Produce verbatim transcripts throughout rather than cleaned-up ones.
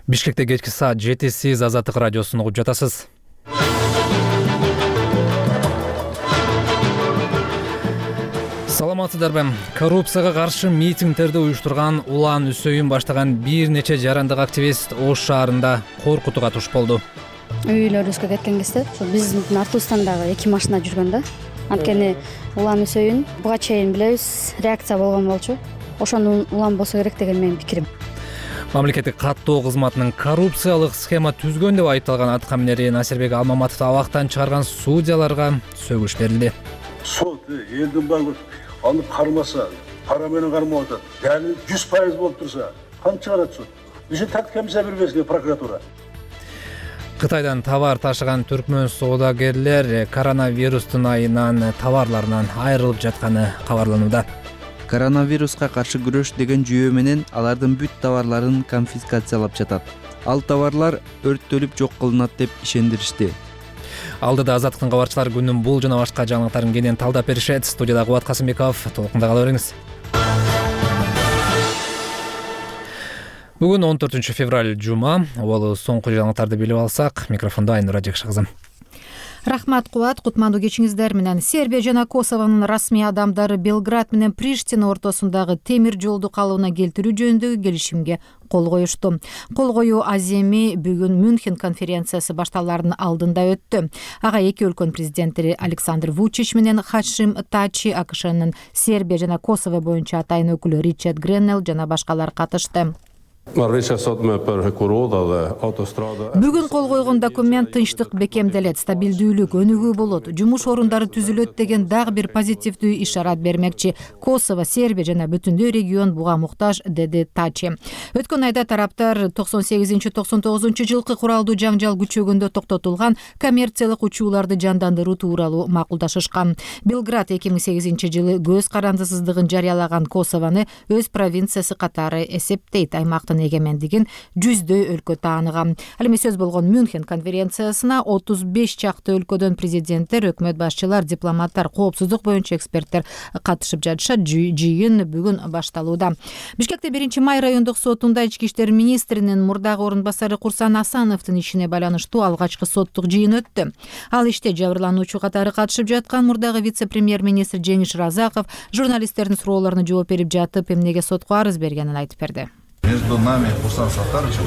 Бишкекте кечки саат жети сиз Азаттык радиосун угуп жатасыз. Саламатсыздарбы? Коррупцияга каршы митингдерди уюштурган Улан Үсөйүн баштаган бир нече жарандык активист Ош шаарында коркутууга туш болду. Үй бүлөлөрүбүзгө кеткен кезде ошо биздин артыбыздан дагы эки машина жүргөн да. Анткени Улан Үсөйүн буга чейин билебиз, реакция болгон болчу. Ошону улам болсо керек деген менин пикирим. Мамлекеттик каттоо кызматынын коррупциялык схема түзгөн деп айыпталган аткаминери Насирбек Алмаматовду абактан чыгарган судьяларга сөгүш берилди. Сот элдин баары аны кармаса, пара менен кармап атат. Дәлил жүз пайыз болуп турса, кантип чыгарат суд? Бизге тактика мисал бербеске прокуратура. Кытайдан товар ташыган түркмөн соодагерлер коронавирустун айынан товарларынан айрылып жатканы кабарланууда. Коронавируска каршы күрөш деген жүйө менен алардын бүт товарларын конфискациялап жатат. Ал товарлар өрттөлүп жок кылынат деп ишендиришти. Алдыда Азаттыктын кабарчылары күнүн бул жана башка жаңылыктарын кенен талдап беришет. Студияда Кубат Касымбеков, толкунда кала бериңиз. Бүгүн он төртүнчү февраль жума. Ол соңку жаңылыктарды билип алсак, микрофондо Айнура Жекши кызым. Рахмат Кубат, кутмандуу кечиңиздер менен. Сербия жана Косованын расмий адамдары Белград менен Приштина ортосундагы темир жолду калыбына келтирүү жөнүндөгү келишимге кол коюшту. Кол коюу аземи бүгүн Мюнхен конференциясы башталаарынын алдында өттү. Ага эки өлкөнүн президенттери Александр Вучич менен Хашим Тачи, АКШнын Сербия жана Косово боюнча атайын өкүлү Ричард Греннел жана башкалар катышты. Бүгүн кол койгон документ тынчтык бекемделет, стабилдүүлүк өнүгүү болот, жумуш орундары түзүлөт деген дагы бир позитивдүү ишарат бермекчи. Косово, Сербия жана бүтүндөй регион буга муктаж, деди Тачи. Өткөн айда тараптар токсон сегизинчи токсон тогузунчу жылкы куралдуу жаңжал күчөгөндө токтотулган коммерциялык учууларды жандандыруу тууралуу макулдашышкан. Белград эки миң сегизинчи жылы көз карандысыздыгын жарыялаган Косовону өз провинциясы катары эсептейт. Аймактын эгемендигин жүздөй өлкө тааныган. Ал эми сөз болгон Мюнхен конференциясына отуз беш чакты өлкөдөн президенттер, өкмөт башчылар, дипломаттар, коопсуздук боюнча эксперттер катышып жатышат. Жыйын бүгүн башталууда. Бишкекте биринчи май райондук сотунда ички иштер министринин мурдагы орун басары Курсан Асановдун ишине байланыштуу алгачкы соттук жыйын өттү. Ал иште жабырлануучу катары катышып жаткан мурдагы вице-премьер-министр Жеңиш Разаков журналисттердин суроолоруна жооп берип жатып, эмнеге сотко арыз бергенин айтып берди. Между нами и Курсан Сатаровичем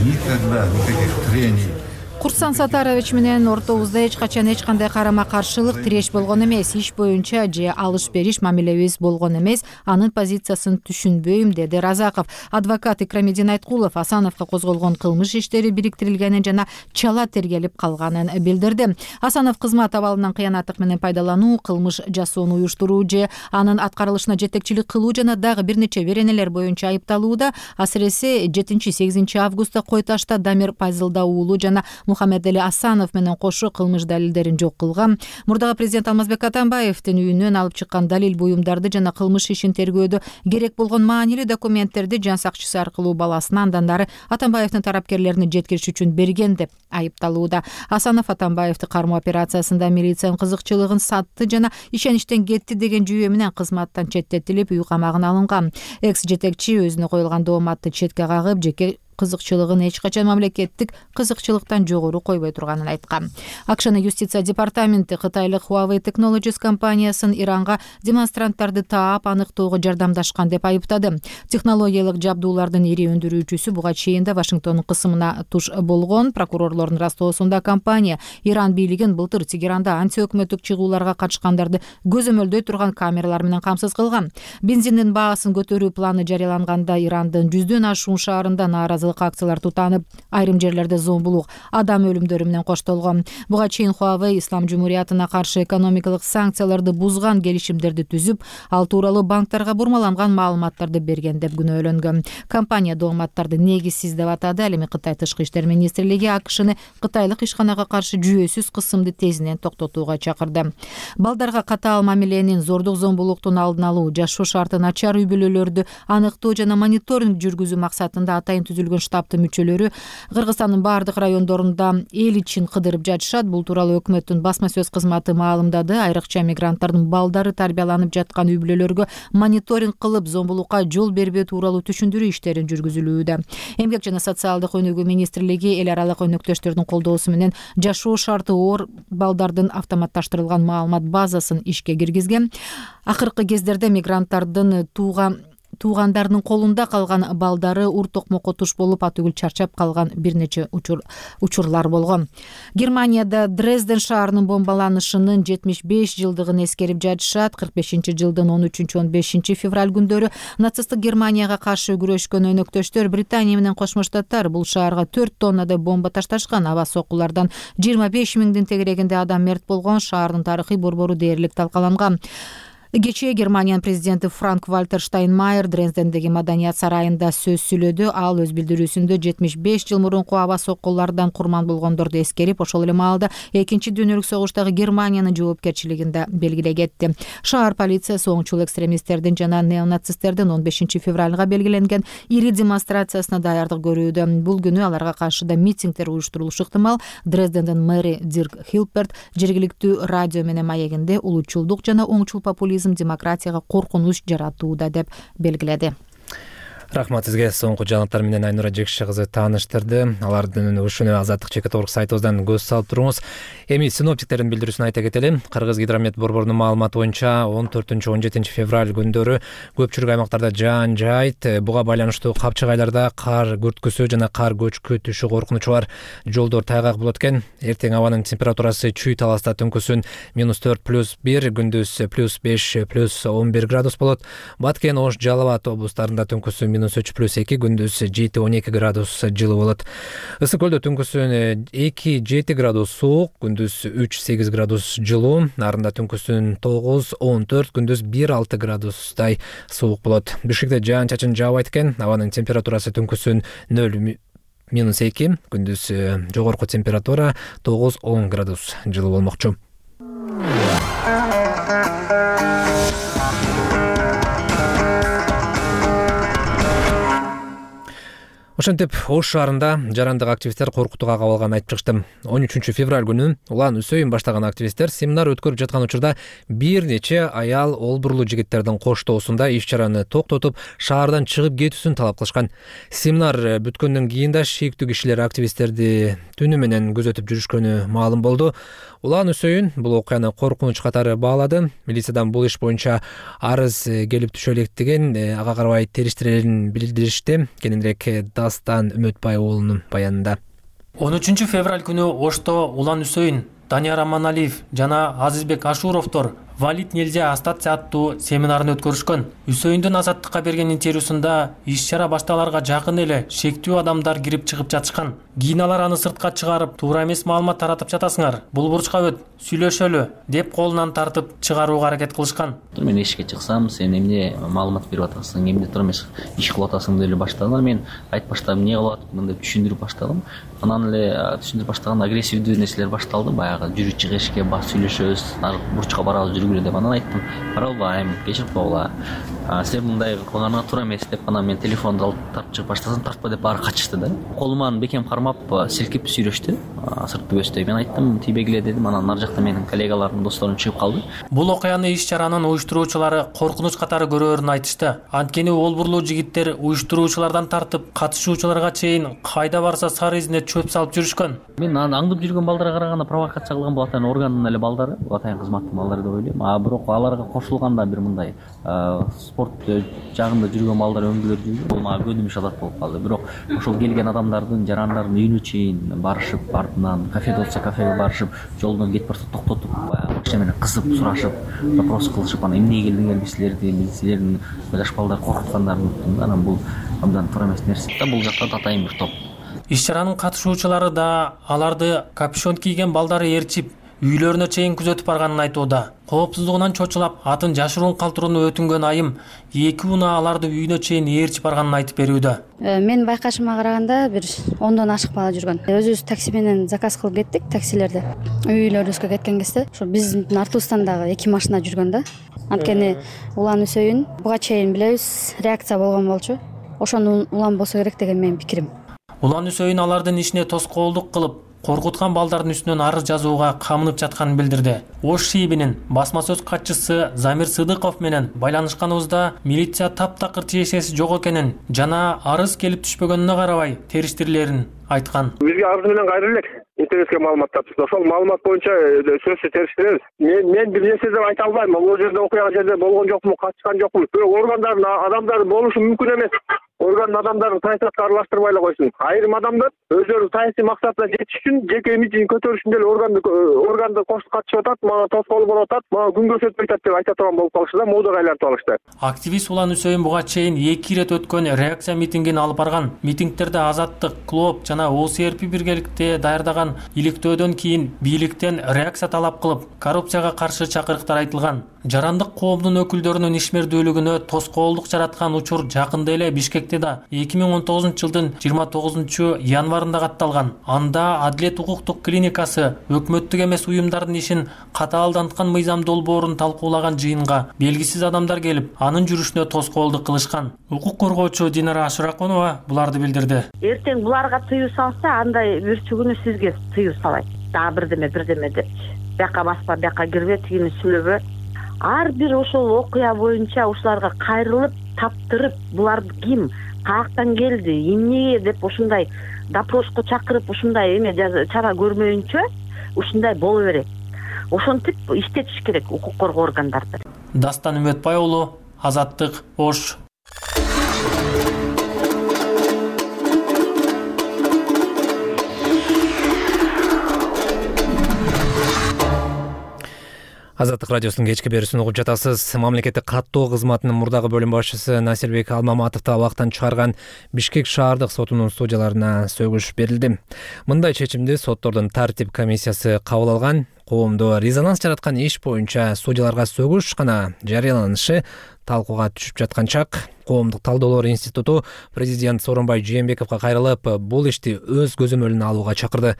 никогда никаких трений. Курсан Сатарович менен ортобузда эч качан эч кандай карама-каршылык, тиреш болгон эмес. Иш боюнча же алыш-бериш мамилебиз болгон эмес. Анын позициясын түшүнбөйм, деди Разаков. Адвокат Икрамидин Айткулов Асановго козголгон кылмыш иштери бириктирилгенин жана чала тергелип калганын билдирди. Асанов кызмат абалынан кыянаттык менен пайдалануу, кылмыш жасоону уюштуруу же анын аткарылышына жетекчилик кылуу жана дагы бир нече беренелер боюнча айыпталууда. Асыресе жетинчи сегизинчи августта Кой Ташта Дамир Пайзылда уулу жана Мухаммедали Асанов менен кошо кылмыш далилдерин жок кылган. Мурдагы президент Алмазбек Атамбаевдин үйүнөн алып чыккан далил буюмдарды жана кылмыш ишин тергөөдө керек болгон маанилүү документтерди жан сакчысы аркылуу баласына, андан ары Атамбаевдин тарапкерлерине жеткириш үчүн берген деп айыпталууда. Асанов Атамбаевди кармоо операциясында милициянын кызыкчылыгын сатты жана ишеништен кетти деген жүйө менен кызматтан четтетилип, үй камагына алынган. Экс жетекчи өзүнө коюлган дооматты четке кагып, жеке кызыкчылыгын эч качан мамлекеттик кызыкчылыктан жогору койбой турганын айткан. АКШнын юстиция департаменти кытайлык Huawei Technologies компаниясын Иранга демонстранттарды таап, аныктоого жардамдашкан деп айыптады. Технологиялык жабдуулардын ири өндүрүүчүсү буга чейин да Вашингтондун кысымына туш болгон. Прокурорлордун растоосунда компания Иран бийлигин былтыр Тегеранда антиөкмөттүк чыгууларга катышкандарды көзөмөлдөй турган камералар менен камсыз кылган. Бензиндин баасын көтөрүү планы жарыяланганда Ирандын жүздөн ашуун шаарында нааразы акциялар тутанып, айрым жерлерде зомбулук, адам өлүмдөрү менен коштолгон. Буга чейин Huawei Ислам жумуриятына каршы экономикалык санкцияларды бузган келишимдерди түзүп, ал тууралуу банктарга бурмаланган маалыматтарды берген деп күнөөлөнгөн. Компания дооматтарды негизсиз деп атады. Ал эми Кытай тышкы иштер министрлиги АКШны кытайлык ишканага каршы жүйөсүз кысымды тезинен токтотууга чакырды. Балдарга катаал мамиленин, зордук зомбулуктун алдын алуу, жашоо шарты начар үй бүлөлөрдү аныктоо жана мониторинг жүргүзүү максатында атайын түзүлгөн болгон штабтын мүчөлөрү Кыргызстандын бардык райондорунда эл ичин кыдырып жатышат. Бул тууралуу өкмөттүн басма сөз кызматы маалымдады. Айрыкча мигранттардын балдары тарбияланып жаткан үй-бүлөлөргө мониторинг кылып, зомбулукка жол бербөө тууралуу түшүндүрүү иштерин жүргүзүлүүдө. Эмгек жана социалдык өнүгүү министрлиги эл аралык өнөктөштөрдүн колдоосу менен жашоо шарты оор балдардын автоматташтырылган маалымат базасын ишке киргизген. Акыркы кездерде мигранттардын тууган туугандарынын колунда калган балдары ур токмокко туш болуп, атүгүл чарчап калган бир нече учур учурлар болгон. Германияда Дрезден шаарынын бомбаланышынын жетимиш беш жылдыгын эскерип жатышат. кырк бешинчи жылдын он үчүнчү он бешинчи февраль күндөрү нацисттик Германияга каршы күрөшкөн өнөктөштөр Британия менен Кошмо Штаттар бул шаарга төрт тоннадай бомба ташташкан. Аба соккулардан жыйырма беш миңдин тегерегинде адам мерт болгон. Шаардын тарыхый борбору дээрлик талкаланган. Кечээ Германиянын президенти Франк Вальтер Штайнмайер Дрездендеги Маданият сарайында сөз сүйлөдү. Ал өз билдирүүсүндө жетимиш беш жыл мурунку аба соккулардан курман болгондорду эскерип, ошол эле маалда экинчи дүйнөлүк согуштагы Германиянын жоопкерчилигин да белгилей кетти. Шаар полициясы оңчул экстремисттердин жана неонацисттердин он бешинчи февралга белгиленген ири демонстрациясына даярдык көрүүдө. Бул күнү аларга каршы да митингдер уюштурулушу ыктымал. Дрездендин мэри Дирк Хилперт жергиликтүү радио менен маегинде улутчулдук жана оңчул популизм демократияга коркунуч жаратууда деп белгиледи. Рахмат сизге. Соңку жаңылыктар менен Айнура Жекши кызы тааныштырды. Алардын ушуну Азаттык чекит орг сайтыбыздан көз салып туруңуз. Эми синоптиктердин билдирүүсүн айта кетели. Кыргыз гидромет борборунун маалыматы боюнча он төртүнчү он жетинчи февраль күндөрү көпчүлүк аймактарда жаан жайт. Буга байланыштуу капчык айларда кар күрткүсү жана кар көчкү түшүү коркунучу бар. Жолдор тайгак болот экен. Эртең абанын температурасы чүй таласта түнкүсүн минус төрт плюс бир, күндүз плюс беш плюс он бир градус болот. Баткен, Ош, Жалал Абад облустарында түнкүсү минус үч плюс эки, күндүз жети он эки градус жылы болот. Ысык көлдө түнкүсүн эки жети градус суук, күндүз үч сегиз градус жылуу, нарында түнкүсүн тогуз он төрт, күндүз бир алты градустай суук болот. Бишкекте жаан чачын жаабайт экен. Абанын температурасы түнкүсүн нөл минус эки, күндүз жогорку температура тогуз он градус жылуу болмокчу. Ошентип, Ош шаарында жарандык активисттер коркутууга кабылганын айтып чыгышты. он үчүнчү февраль күнү Улан Үсөйүн баштаган активисттер семинар өткөрүп жаткан учурда бир нече аял олбурлуу жигиттердин коштоосунда иш-чараны токтотуп, шаардан чыгып кетүүсүн талап кылышкан. Семинар бүткөндөн кийин да шектүү кишилер активисттерди түнү менен күзөтүп жүрүшкөнү маалым болду. Улан Үсөйүн бул окуяны коркунуч катары баалады. Милициядан бул иш боюнча арыз келип түшө электигин, ага карабай териштирерин билдиришти. Кененирээк Дастан Үмөтбай уулунун баянында. он үчүнчү февраль күнү Ошто Улан Үсөйүн, Данияр Аманалиев жана Азизбек Ашуровдор Валит нельзя остаться аттуу семинарын өткөрүшкөн. Үсөйүндүн Азаттыкка берген интервьюсунда иш-чара башталарга жакын эле шектүү адамдар кирип чыгып жатышкан. Кийин алар аны сыртка чыгарып, туура эмес маалымат таратып жатасыңар, бул бурчка өт, сүйлөшөлү деп колунан тартып чыгарууга аракет кылышкан. Мен эшикке чыксам, сен эмне маалымат берип атасың, эмне тура эмес иш кылып атасың деп эле баштадым. Мен айтып баштадым, эмне кылып атып, мындай түшүндүрүп баштадым. Анан эле түшүндүрүп баштаганда агрессивдүү нерселер башталды. Баягы жүрүп чыгышке, бас сүйлөшөбүз, бурчка барабыз, жүргүлө деп. Анан айттым, каралбайм, кечирип койгула. Сен мындай кылганыңа туура эмес деп, анан мен телефонду алып тартып чыгып баштасам, тартпа деп баары качышты да. Колуман бекем кармап, силкип сүйлөштү. Сыртты бөстөй. Мен айттым, тийбегиле дедим. Анан нар жакта менин коллегаларым, досторум чыгып калды. Бул окуяны иш-чаранын уюштуруучулары коркунуч катары көрөөрүн айтышты. Анткени олбурлуу жигиттер уюштуруучулардан тартып, катышуучуларга чейин кайда барса сары изине чөп салып жүрүшкөн. Мен аңдып жүргөн балдарга караганда провокация кылган бул атайын органдын эле балдары, бул атайын кызматтын балдары деп ойлойм. А бирок аларга кошулганда бир мындай спорт жагында жүргөн балдар өңгөлөр жүргөн. Бул мага көнүмүш адат болуп калды. Бирок ошол келген адамдардын жарандардын үйүнө чейин барышып, артынан кафеде болсо кафеге барышып, жолдон кетип барса токтотуп, акча менен кызып сурашып, вопрос кылышып, анан эмне келдиңер силерди, силердин жаш балдар коркуткандарын уктум. Анан бул абдан туура эмес нерсе. Бул жакта атайын бир топ. Иш-чаранын катышуучулары да аларды капюшон кийген балдары ээрчип, үйлөрүнө чейин күзөтүп барганын айтууда. Коопсуздугунан чочулап, атын жашыруун калтырууну өтүнгөн айым эки унаа аларды үйүнө чейин ээрчип барганын айтып берүүдө. Менин байкашыма караганда бир ондон ашык бала жүргөн. Өзүбүз такси менен заказ кылып кеттик, таксилерди. Үйлөрүбүзгө кеткен кезде ошо биздин артыбыздан дагы эки машина жүргөн да. Анткени Улан Үсөйүн буга чейин билебиз, реакция болгон болчу. Ошону уланбосо керек деген менин пикирим. Улан Үсөйүн алардын ишине тоскоолдук кылып, коркуткан балдардын үстүнөн арыз жазууга камынып жатканын билдирди. Ош шийбинин басма сөз катчысы Замир Сыдыков менен байланышканыбызда милиция таптакыр тиешеси жок экенин жана арыз келип түшпөгөнүнө карабай териштирилерин айткан. Бизге арыз менен кайры элек интернетке маалымат таптык. Ошол маалымат боюнча сөзсүз териштиребиз. Мен мен бир нерсе деп айта албайм. Бул жерде окуя жерде болгон жокмун, катышкан жокмун. Органдардын адамдары болушу мүмкүн эмес. Орган адамдарын саясатка аралаштырбай эле койсун. Айрым адамдар өздөрүнүн саясий максатына жетиш үчүн жеке имиджин көтөрүш үчүн деле органды органды коштук катышып атат, мага тоскоол болуп атат, мага күн көрсөтүп атат деп айта турган болуп калышты да, моодага айлантып алышты. Активист Улан Үсөйүн буга чейин эки ирет өткөн реакция митингин алып барган. Митингтерде Азаттык, Клоп жана О С Р П биргеликте даярдаган иликтөөдөн кийин бийликтен реакция талап кылып, коррупцияга каршы чакырыктар айтылган. Жарандык коомдун өкүлдөрүнүн ишмердүүлүгүнө тоскоолдук жараткан учур жакында эле Бишкекте да эки миң он тогузунчу жылдын жыйырма тогузунчу январында катталган. Анда Адилет укуктук клиникасы өкмөттүк эмес уюмдардын ишин катаалданткан мыйзам долбоорун талкуулаган жыйынга белгисиз адамдар келип, анын жүрүшүнө тоскоолдук кылышкан. Укук коргоочу Динара Ашыраконова буларды билдирди. Эртең буларга тыюу салса, андай бүрчүгүнү сизге тыюу салайт. Дагы бирдеме бирдеме деп. Бияка баспа, бияка кирбе, тигини сүйлөбө. Ар бир ошол окуя боюнча ушуларга кайрылып, таптырып, булар ким, каяктан келди, эмнеге деп ушундай допроско чакырып, ушундай эме чара көрмөйүнчө ушундай боло берет. Ошентип иштетиш керек укук коргоо органдарды. Дастан Үмөтбай уулу, Азаттык, Ош. Азаттык радиосунун кечки берүүсүн угуп жатасыз. Мамлекеттик каттоо кызматынын мурдагы бөлүм башчысы Насирбек Алмаматовду абактан чыгарган Бишкек шаардык сотунун судьяларына сөгүш берилди. Мындай чечимди соттордун тартип комиссиясы кабыл алган. Коомдо резонанс жараткан иш боюнча судьяларга сөгүш гана жарыяланышы талкууга түшүп жаткан чак. Коомдук талдоолор институту президент Сооронбай Жээнбековго кайрылып, бул ишти өз көзөмөлүнө алууга чакырды.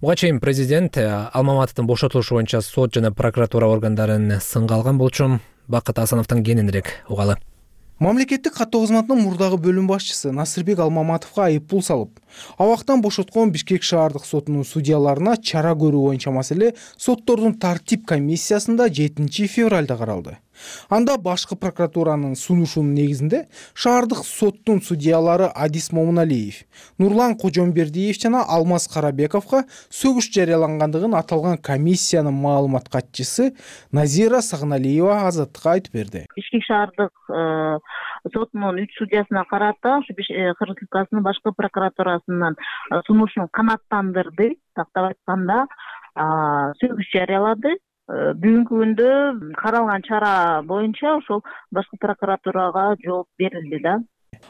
Буга чейин президент Алмаматовдун бошотулушу боюнча сот жана прокуратура органдарын сынга алган болчу. Бакыт Асановдон кененирээк угалы. Мамлекеттик каттоо кызматынын мурдагы бөлүм башчысы Насирбек Алмаматовго айыппул салып, абактан бошоткон Бишкек шаардык сотунун судьяларына чара көрүү боюнча маселе соттордун тартип комиссиясында жетинчи февралда каралды. Анда башкы прокуратуранын сунушунун негизинде шаардык соттун судьялары Адис Момуналиев, Нурлан Кожомбердиев жана Алмаз Карабековго сөгүш жарыялангандыгын аталган комиссиянын маалымат катчысы Назира Сагыналиева Азаттыкка айтып берди. Бишкек шаардык сотунун үч судьясына карата Кыргыз Республикасынын башкы прокуратурасынын сунушун канааттандырды. Тактап айтканда, сөгүш жарыялады. Бүгүнкү күндө каралган чара боюнча ошол башкы прокуратурага жооп берилди да.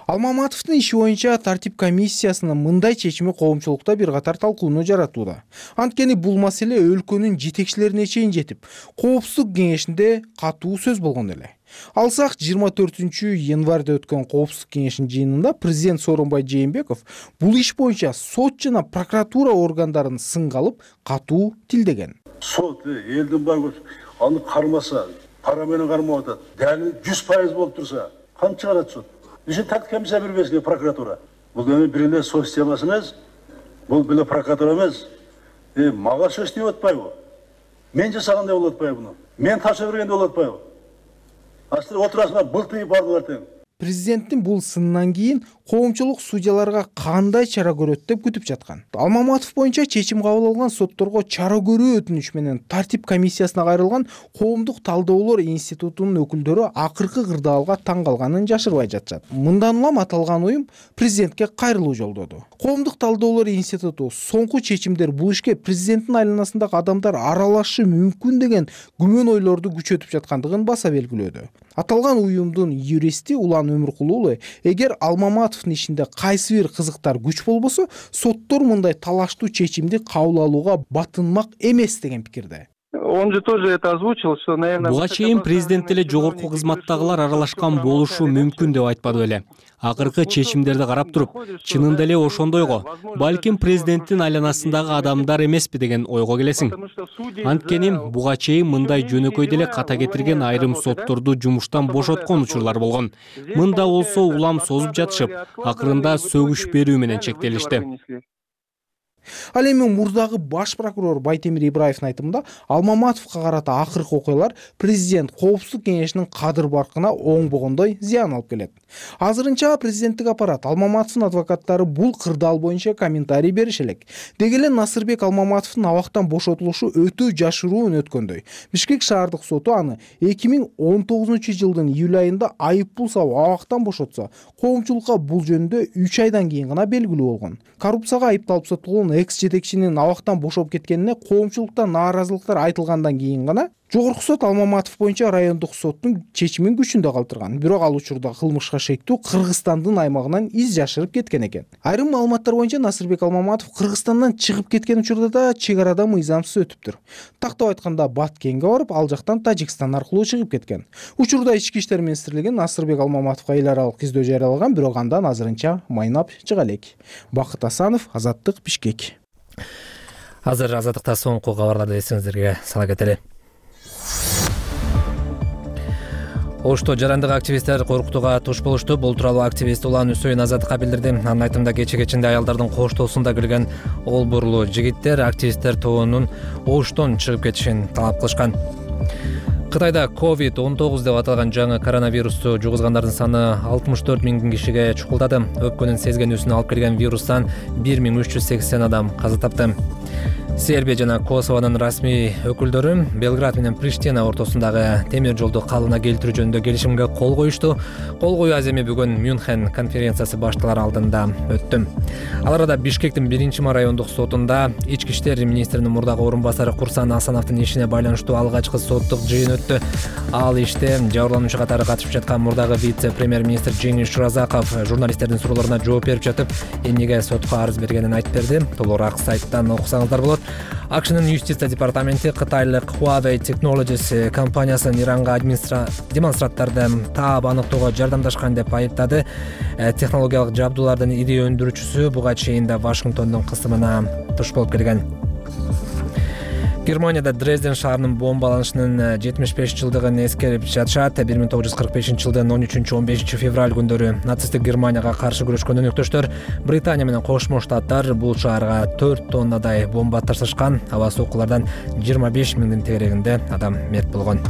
Алмаматовдун иши боюнча тартип комиссиясынын мындай чечими коомчулукта бир катар талкууну жаратууда. Анткени бул маселе өлкөнүн жетекчилерине чейин жетип, коопсуздук кеңешинде катуу сөз болгон эле. Алсак жыйырма төртүнчү январда өткөн коопсуздук кеңешинин жыйынында президент Сооронбай Жээнбеков бул иш боюнча сот жана прокуратура органдарын сынга алып, катуу тилдеген. Сот элдин баары аны кармаса, пара менен кармап атат. Дәлил жүз пайыз болуп турса, кантип чыгарат сот? Ишин тактик комиссия бербеске прокуратура. Бул эми бир эле сот системасы эмес, бул бир эле прокуратура эмес. Э, мага сөз деп атпайбы? Мен жасагандай болуп атпайбы буну? Мен тапшырып бергенде болуп атпайбы? Астыр отурасына былтыйып бардылар тең. Президенттин бул сынынан кийин коомчулук судьяларга кандай чара көрөт деп күтүп жаткан. Алмаматов боюнча чечим кабыл алган сотторго чара көрүү өтүнүч менен тартип комиссиясына кайрылган коомдук талдоолор институтунун өкүлдөрү акыркы кырдаалга таң калганын жашырбай жатышат. Мындан улам аталган уюм президентке кайрылуу жолдоду. Коомдук талдоолор институту соңку чечимдер бул ишке президенттин айланасындагы адамдар аралашышы мүмкүн деген күмөн ойлорду күчөтүп жаткандыгын баса белгилөөдө. Аталган уюмдун юристи Улан Өмүркул уулу, эгер Алмаматовдун ишинде кайсы бир кызыктар күч болбосо, соттор мындай талаштуу чечимди кабыл алууга батынмак эмес деген пикирде. Он же тоже это озвучил, что, наверное... Буга чейин президент эле жогорку кызматтагылар аралашкан болушу мүмкүн деп айтпады беле. Акыркы чечимдерди карап туруп, чынында эле ошондойго, балким президенттин айланасындагы адамдар эмеспи деген ойго келесиң. Анткени буга чейин мындай жөнөкөй деле ката кетирген айрым сотторду жумуштан бошоткон учурлар болгон. Мында болсо улам созуп жатышып, акырында сөгүш берүү менен чектелишти. Ал эми мурдагы баш прокурор Байтемир Ибраевдин айтымында Алмаматовго карата акыркы окуялар президент коопсуздук кеңешинин кадыр баркына оңбогондой зыян алып келет. Азырынча президенттик аппарат Алмаматовдун адвокаттары бул кырдаал боюнча комментарий бериши элек. Деги эле Насырбек Алмаматовдун абактан бошотулушу өтө жашыруун өткөндөй. Бишкек шаардык соту аны эки миң он тогузунчу жылдын июль айында айыппул салып абактан бошотса, коомчулукка бул жөнүндө үч айдан кийин гана белгилүү болгон. Коррупцияга айыпталып сотулган экс-жетекчинин абактан бошоп кеткенине коомчулуктан нааразылыктар айтылгандан кийин гана Жогорку сот Алмаматов боюнча райондук соттун чечимин күчүндө калтырган. Бирок ал учурда кылмышка шектүү Кыргызстандын аймагынан из жашырып кеткен экен. Айрым маалыматтар боюнча Насырбек Алмаматов Кыргызстандан чыгып кеткен учурда да чек арада мыйзамсыз өтүптүр. Тактап айтканда Баткенге барып, ал жактан Тажикстан аркылуу чыгып кеткен. Учурда Ички иштер министрлиги Насырбек Алмаматовго эл аралык издөө жарыялаган, бирок андан азырынча майнап чыга элек. Бакыт Асанов, Азаттык, Бишкек. Азыр Азаттыкта соңку кабарларды эсиңиздерге сала кетели. Ошто жарандык активисттер коркутууга туш болушту. Бул тууралуу активист Улан Үсөйүн Азаттыкка билдирди. Анын айтымында кече-кечинде аялдардын коштоосунда кирген олбурлуу жигиттер активисттер тобунун Оштон чыгып кетишин талап кылышкан. Кытайда ковид он тогуз деп аталган жаңы коронавирусту жугузгандардын саны алтымыш төрт миң кишиге чукулдады. Өпкөнүн сезгенүүсүн алып келген вирустан бир миң үч жүз сексен адам каза тапты. Сербия жана Косовонун расмий өкүлдөрү Белград менен Приштина ортосундагы темир жолду калыбына келтирүү жөнүндө келишимге кол коюшту. Кол коюу аземи бүгүн Мюнхен конференциясы башталар алдында өттү. Ал арада Бишкектин биринчи райондук сотунда ички иштер министринин мурдагы орун басары Курсан Асановдун ишине байланыштуу алгачкы соттук жыйын өттү. Ал иште жабырлануучу катары катышып жаткан мурдагы вице-премьер-министр Жеңиш Шуразаков журналисттердин суроолоруна жооп берип жатып, эмнеге сотко арыз бергенин айтып берди. Толугураак сайттан окусаңыздар болот. Акшнын юстиция департаменти Кытайлык Huawei Technologies компаниясын Иранга администра... демонстранттарды таап аныктоого жардамдашкан деп айыптады. Технологиялык жабдуулардын ири өндүрүүчүсү буга чейин да Вашингтондун кысымына туш болуп келген. Германияда Дрезден шаарынын бомбаланышынын жетимиш беш жылдыгын эскерип жатышат. бир миң тогуз жүз кырк бешинчи жылдын он үчүнчү он бешинчи февраль күндөрү нацисттик Германияга каршы күрөшкөн өнөктөштөр Британия менен Кошмо Штаттар бул шаарга төрт тоннадай бомба ташышкан. Аба соккулардан жыйырма беш миңдин тегерегинде адам мерт болгон.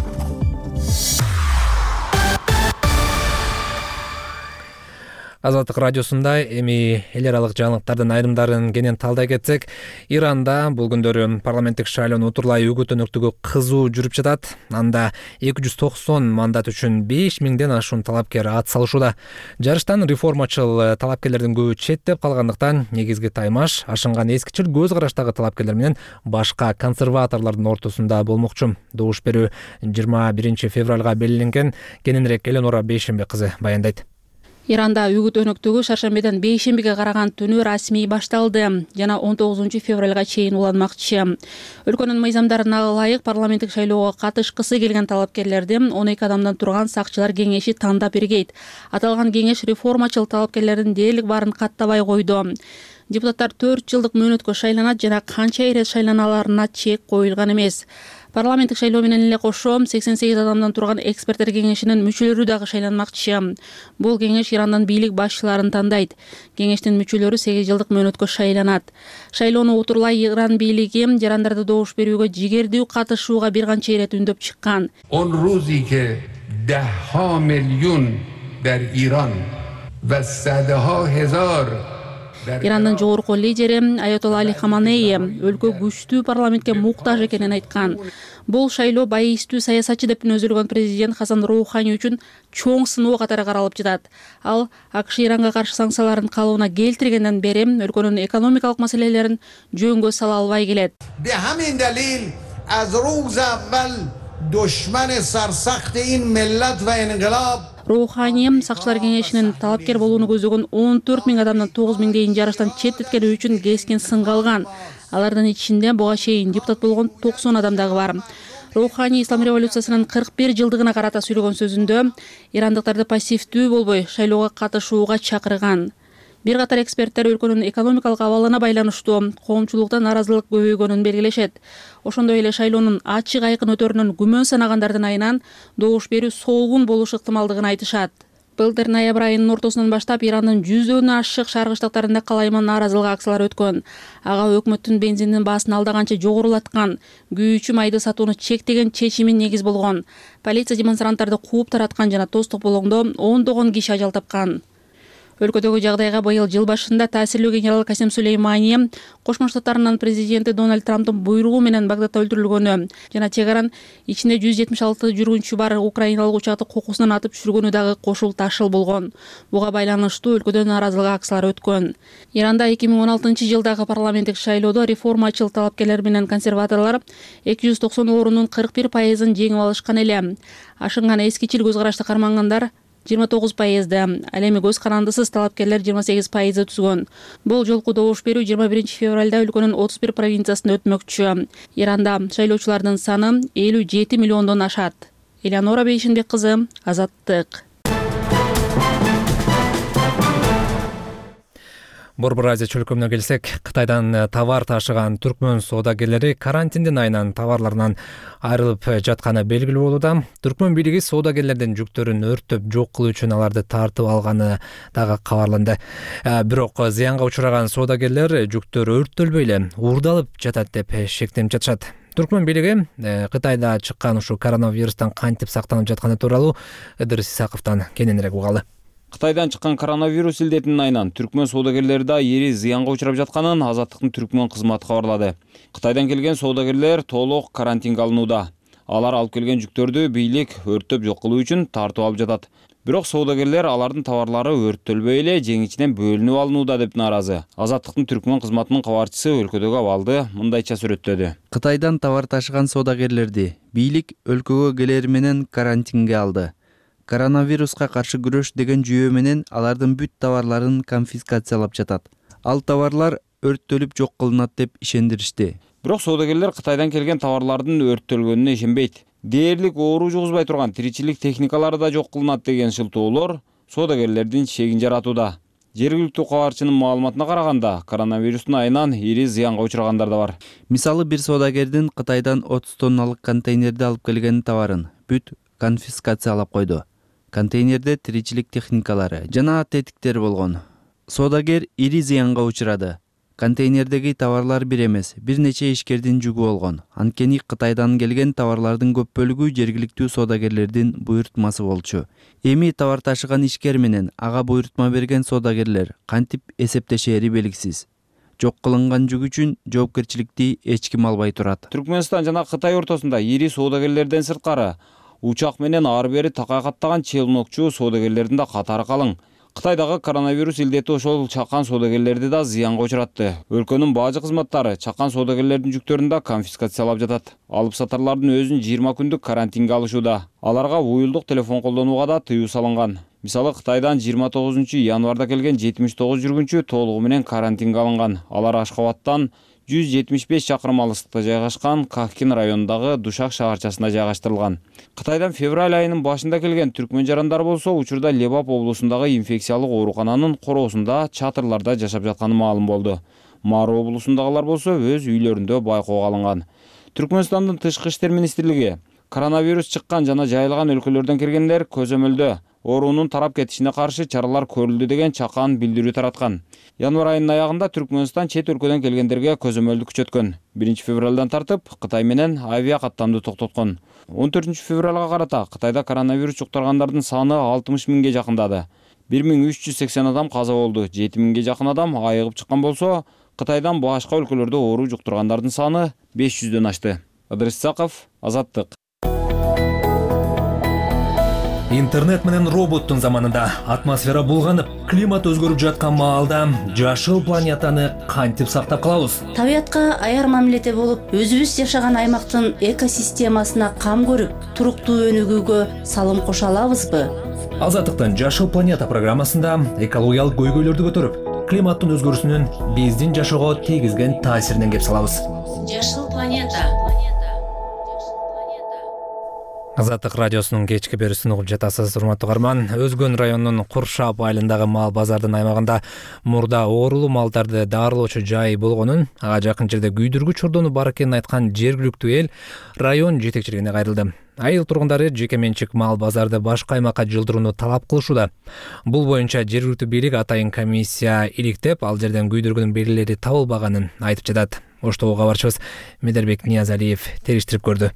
Азаттык радиосунда эми эл аралык жаңылыктардын айрымдарын кенен талдай кетсек, Иранда бул күндөрү парламенттик шайлоонун утурлай үгүт өнөктүгү кызуу жүрүп жатат. Анда эки жүз токсон мандат үчүн беш миңден ашуун талапкер ат салышууда. Жарыштан реформачыл талапкерлердин көбү четтеп калгандыктан негизги таймаш ашынган эскичил көз караштагы талапкерлер менен башка консерваторлордун ортосунда болмокчу. Добуш берүү жыйырма биринчи февралга белгиленген. Кененирээк Эленора Бейшембе кызы баяндайт. Иранда үгүт өнөктүгү шаршембиден бейшембиге караган түнү расмий башталды жана он тогузунчу февралга чейин уланмакчы. Өлкөнүн мыйзамдарына ылайык парламенттик шайлоого катышкысы келген талапкерлерди он эки адамдан турган сакчылар кеңеши тандап бергейт. Аталган кеңеш реформачыл талапкерлердин дээрлик баарын каттабай койду. Депутаттар төрт жылдык мөөнөткө шайланат жана канча ирет шайланаларына чек коюлган эмес. Парламенттик шайлоо менен эле кошо сексен сегиз адамдан турган эксперттер кеңешинин мүчөлөрү дагы шайланмакчы. Бул кеңеш Ирандын бийлик башчыларын тандайт. Кеңештин мүчөлөрү сегиз жылдык мөөнөткө шайланат. Шайлоону утурлай Иран бийлиги жарандарды добуш берүүгө жигердүү катышууга бир канча ирет үндөп чыккан. Он рузи ке дahha миллион дар Иран ва садаха хезар Ирандын жогорку лидери Аятолла Али Хаманеи өлкө күчтүү парламентке муктаж экенин айткан. Бул шайлоо байыстуу саясатчы деп түнөзүлгөн президент Хасан Роухани үчүн чоң сыноо катары каралып жатат. Ал АКШ Иранга каршы санкцияларын калыбына келтиргенден бери өлкөнүн экономикалык маселелерин жөнгө сала албай келет. Be hamin dalil az roz avval dushman sarsakht in millat va inqilab Роухани сакчылар кеңешинин талапкер болууну көздөгөн он төрт миң адамдын тогуз миңдейин жарыштан четтеткени үчүн кескен сынга алган. Алардын ичинде буга чейин депутат болгон токсон адам дагы бар. Роухани ислам революциясынын кырк бир жылдыгына карата сүйлөгөн сөзүндө ирандыктарды пассивдүү болбой шайлоого катышууга чакырган. Бир катар эксперттер өлкөнүн экономикалык абалына байланыштуу коомчулукта нааразылык көбөйгөнүн белгилешет. Ошондой эле шайлоонун ачык айкын өтөрүнөн күмөн санагандардын айынан добуш берүү солгун болушу ыктымалдыгын айтышат. Былтыр ноябрь айынын ортосунан баштап Ирандын жүздөн ашык шаркы штаттарында калайман нааразылык акциялары өткөн. Ага өкмөттүн бензиндин баасын алдаганча жогорулаткан, күйүүчү майды сатууну чектеген чечими негиз болгон. Полиция демонстранттарды кууп тараткан жана тоз тополоңдо ондогон киши ажал тапкан. Өлкөдөгү жагдайга быйыл жыл башында таасирлүү генерал Касим Сулеймани Кошмо Штаттарынын президенти Дональд Трамптын буйругу менен Багдадда өлтүрүлгөнү жана Тегаран ичинде жүз жетимиш алты жүргүнчү бар украиналык учакты кокусунан атып түшүргөнү дагы кошул ташыл болгон. Буга байланыштуу өлкөдө нааразылык акциялары өткөн. Иранда эки миң он алтынчы жылдагы парламенттик шайлоодо реформачыл талапкерлер менен консерваторлор эки жүз токсон орундун кырк бир пайызын жеңип алышкан эле. Ашынган эскичил көз карашты кармангандар жыйырма тогуз пайызды, ал эми көз карандысыз талапкерлер жыйырма сегиз пайызды түзгөн. Бул жолку добуш берүү жыйырма биринчи февралда өлкөнүн отуз бир провинциясында өтмөкчү. Иранда шайлоочулардын саны элүү жети миллиондон ашат. Элеонора Бейшинбек кызы, Азаттык. Борбор Азия чөлкөмүнө келсек, Кытайдан товар ташыган түркмөн соодагерлери карантиндин айынан товарларынан айрылып жатканы белгилүү болууда. Түркмөн бийлиги соодагерлердин жүктөрүн өрттөп жок кылуу үчүн аларды тартып алганы дагы кабарланды. Бирок зыянга учураган соодагерлер жүктөрү өрттөлбөй эле уурдалып жатат деп шектенип жатышат. Түркмөн бийлиги Кытайда чыккан ушу коронавирустан кантип сактанып жатканы тууралуу Ыдырыс Исаковдон кененирээк угалы. Кытайдан чыккан коронавирус илдетинин айынан түркмөн соодагерлери да эри зыянга учурап жатканын Азаттыктын түркмөн кызматы кабарлады. Кытайдан келген соодагерлер толук карантинге алынууда. Алар алып келген жүктөрдү бийлик өрттөп жок кылуу үчүн тартып алып жатат. Бирок соодагерлер алардын товарлары өрттөлбөй эле жеңичинен бөлүнүп алынууда деп нааразы. Азаттыктын түркмөн кызматынын кабарчысы өлкөдөгү абалды мындайча сүрөттөдү. Кытайдан товар ташыган соодагерлерди бийлик өлкөгө келери менен карантинге алды. Коронавируска каршы күрөш деген жүйө менен алардын бүт товарларын конфискациялап жатат. Ал товарлар өрттөлүп жок кылынат деп ишендиришти. Бирок соодагерлер Кытайдан келген товарлардын өрттөлгөнүнө ишенбейт. Дээрлик оору жугузбай турган тиричилик техникалары да жок кылынат деген шылтоолор соодагерлердин чегин жаратууда. Жергиликтүү кабарчынын маалыматына караганда, коронавирустун айынан ири зыянга учурагандар да бар. Мисалы бир соодагердин Кытайдан отуз тонналык контейнерде алып келген товарын бүт конфискациялап койду. Контейнерде тиричилик техникалары жана тетиктер болгон. Соодагер ири зыянга учурады. Контейнердеги товарлар бир эмес, бир нече ишкердин жүгү болгон. Анткени Кытайдан келген товарлардын көп бөлүгү жергиликтүү соодагерлердин буйртмасы болчу. Эми товар ташыган ишкер менен ага буйртма берген соодагерлер кантип эсептешери белгисиз. Жок кылынган жүк үчүн жоопкерчиликти эч ким албай турат. Түркмөнстан жана Кытай ортосунда ири соодагерлерден сырткары учак менен ары бери такай каттаган челнокчу соодагерлердин да катары калың. Кытайдагы коронавирус илдети ошол чакан соодагерлерди да зыянга учуратты. Өлкөнүн бажы кызматтары чакан соодагерлердин жүктөрүн да конфискациялап жатат. Алып сатарлардын өзүн жыйырма күндүк карантинге алышууда. Аларга уюлдук телефон колдонууга да тыюу салынган. Мисалы Кытайдан жыйырма тогузунчу январда келген жетимиш тогуз жүргүнчү толугу менен карантинге алынган. Алар Ашхабадтан жүз жетимиш беш чакырым алыстыкта жайгашкан Кахкин районундагы Душак шаарчасына жайгаштырылган. Кытайдан февраль айынын башында келген түркмөн жарандар болсо учурда Лебап облусундагы инфекциялык оорукананын короосунда чатырларда жашап жатканы маалым болду. Мару облусундагылар болсо өз үйлөрүндө байкоого алынган. Түркмөнстандын тышкы иштер министрлиги коронавирус чыккан жана жайылган өлкөлөрдөн келгендер көзөмөлдө оорунун тарап кетишине каршы чаралар көрүлдү деген чакан билдирүү тараткан. Январь айынын аягында Түркмөнстан чет өлкөдөн келгендерге көзөмөлдү күчөткөн. биринчи февралдан тартып Кытай менен авиа каттамды токтоткон. он төртүнчү февралга карата Кытайда коронавирус жуктургандардын саны алтымыш миңге жакындады. бир миң үч жүз сексен адам каза болду, жети миңге жакын адам айыгып чыккан болсо, Кытайдан башка өлкөлөрдө оору жуктургандардын саны беш жүздөн ашты. Ыдырыс Исаков, Азаттык. Интернет менен роботтун заманында атмосфера булганып, климат өзгөрүп жаткан маалда жашыл планетаны кантип сактап калабыз? Табиятка аяр мамиледе болуп, өзүбүз жашаган аймактын экосистемасына кам көрүп, туруктуу өнүгүүгө салым кошо алабызбы? Азаттыктын Жашыл планета программасында экологиялык көйгөйлөрдү көтөрүп, климаттын өзгөрүүсүнүн биздин жашоого тийгизген таасиринен кеп салабыз. Жашыл планета. Азаттык радиосунун кечки берүүсүн угуп жатасыз, урматтуу угарман. Өзгөн районунун Куршап айылындагы мал базардын аймагында мурда оорулуу малдарды даарылоочу жай болгонун, ага жакын жерде күйдүргү чордону бар экенин айткан жергиликтүү эл район жетекчилигине кайрылды. Айыл тургундары жеке менчик мал базарды башка аймакка жылдырууну талап кылышууда. Бул боюнча жергиликтүү бийлик атайын комиссия иликтеп, ал жерден күйдүргүнүн белгилери табылбаганын айтып жатат. Оштогу кабарчыбыз Медербек Ниязалиев териштирип көрдү.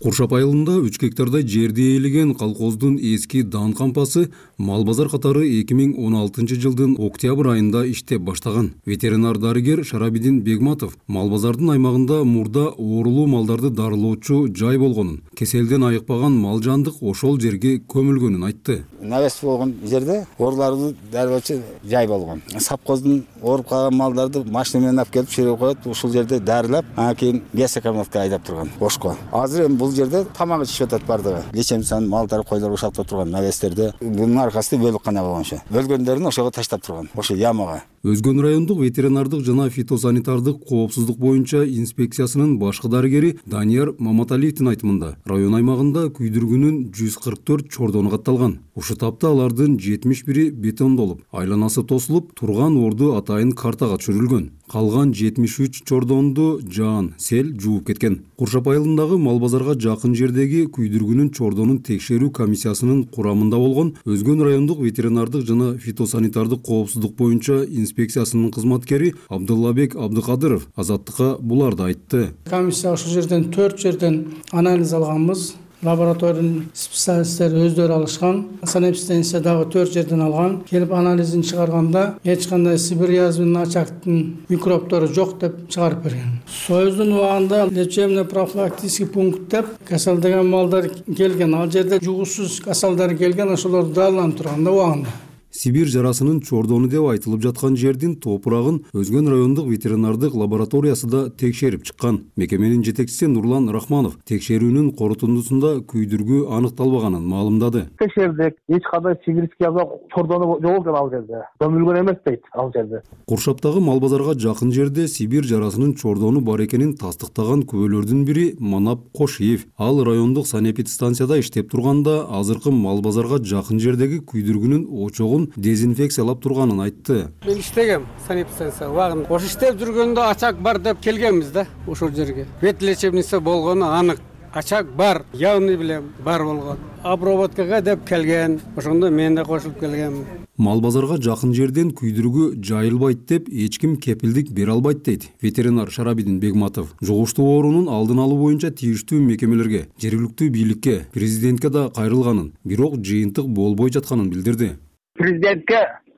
Куршап айылында үч гектардай жерди ээлеген колхоздун эски дан кампасы мал базар катары эки миң он алтынчы жылдын октябрь айында иштеп баштаган. Ветеринар дарыгер Шарабидин Бегматов мал базардын аймагында мурда оорулуу малдарды дарылоочу жай болгонун, кеселден айыкпаган мал жандык ошол жерге көмүлгөнүн айтты. Навес болгон жерде ооруларды дарылоочу жай болгон. Сапкоздун ооруп калган малдарды машина менен алып келип чыгып коет, ушул жерде дарылап, анан кийин лесокомнатка айдап турган Ошко. Азыр эми бул жерде тамак ичип атат бардыгы. Лечемсан малдар, койлор ушалып турган навестерде бунун аркасында бөлүккана болгончу. Өлгөндөрүн ошого таштап турган, ошо ямага. Өзгөн райондук ветеринардык жана фитосанитардык коопсуздук боюнча инспекциясынын башкы дарыгери Данияр Маматалиевдин айтымында, район аймагында күйдүргүнүн жүз кырк төрт чордону катталган. Ушул тапта алардын жетимиш бири бетондолуп, айланасы тосулуп, турган орду атайын картага түшүрүлгөн. Калган жетимиш үч чордонду жаан, сел жууп кеткен. Куршап айылындагы мал базарга жакын жердеги күйдүргүнүн чордонун текшерүү комиссиясынын курамында болгон Өзгөн райондук ветеринардык жана фитосанитардык коопсуздук боюнча инспекциясынын кызматкери Абдуллабек Абдыкадыров Азаттыкка буларды айтты. Комиссия ошол жерден төрт жерден анализ алганбыз. Лабораториянын специалисттери өздөрү алышкан. Санэпидстанция дагы төрт жерден алган. Келип анализин чыгарганда эч кандай сибир язвенный очагтын микробтору жок деп чыгарып берген. Союздун убагында лечебный профилактический пункт деп касалдаган малдар келген. Ал жерде жугусуз касалдар келген, ошолор дарыланып турган да убагында. Сибир жарасынын чордону деп айтылып жаткан жердин топурагын Өзгөн райондук ветеринардык лабораториясы да текшерип чыккан. Мекеменин жетекчиси Нурлан Рахманов текшерүүнүн корутундусунда күйдүргү аныкталбаганын маалымдады. Текшердик, эч кандай сибирский яза чордону жок экен ал жерде. Көмүлгөн эмес дейт ал жерде. Куршаптагы мал базарга жакын жерде сибир жарасынын чордону бар экенин тастыктаган күбөлөрдүн бири Манап Кошиев. Ал райондук санэпидстанцияда иштеп турганда азыркы мал базарга жакын жердеги күйдүргүнүн очогун дезинфекциялап турганын айтты. Мен иштегем санэпидстанция убагында. Ошо иштеп жүргөндө ачак бар деп келгенбиз да ошол жерге. Вет лечебница болгону анык. Ачак бар, явный билем бар болгон. Обработкага деп келген. Ошондо мен да кошулуп келгем. Мал базарга жакын жерден күйдүргү жайылбайт деп эч ким кепилдик бере албайт дейт ветеринар Шарабидин Бегматов. Жугуштуу оорунун алдын алуу боюнча тийиштүү мекемелерге, жергиликтүү бийликке, президентке да кайрылганын, бирок жыйынтык болбой жатканын билдирди. Президентке,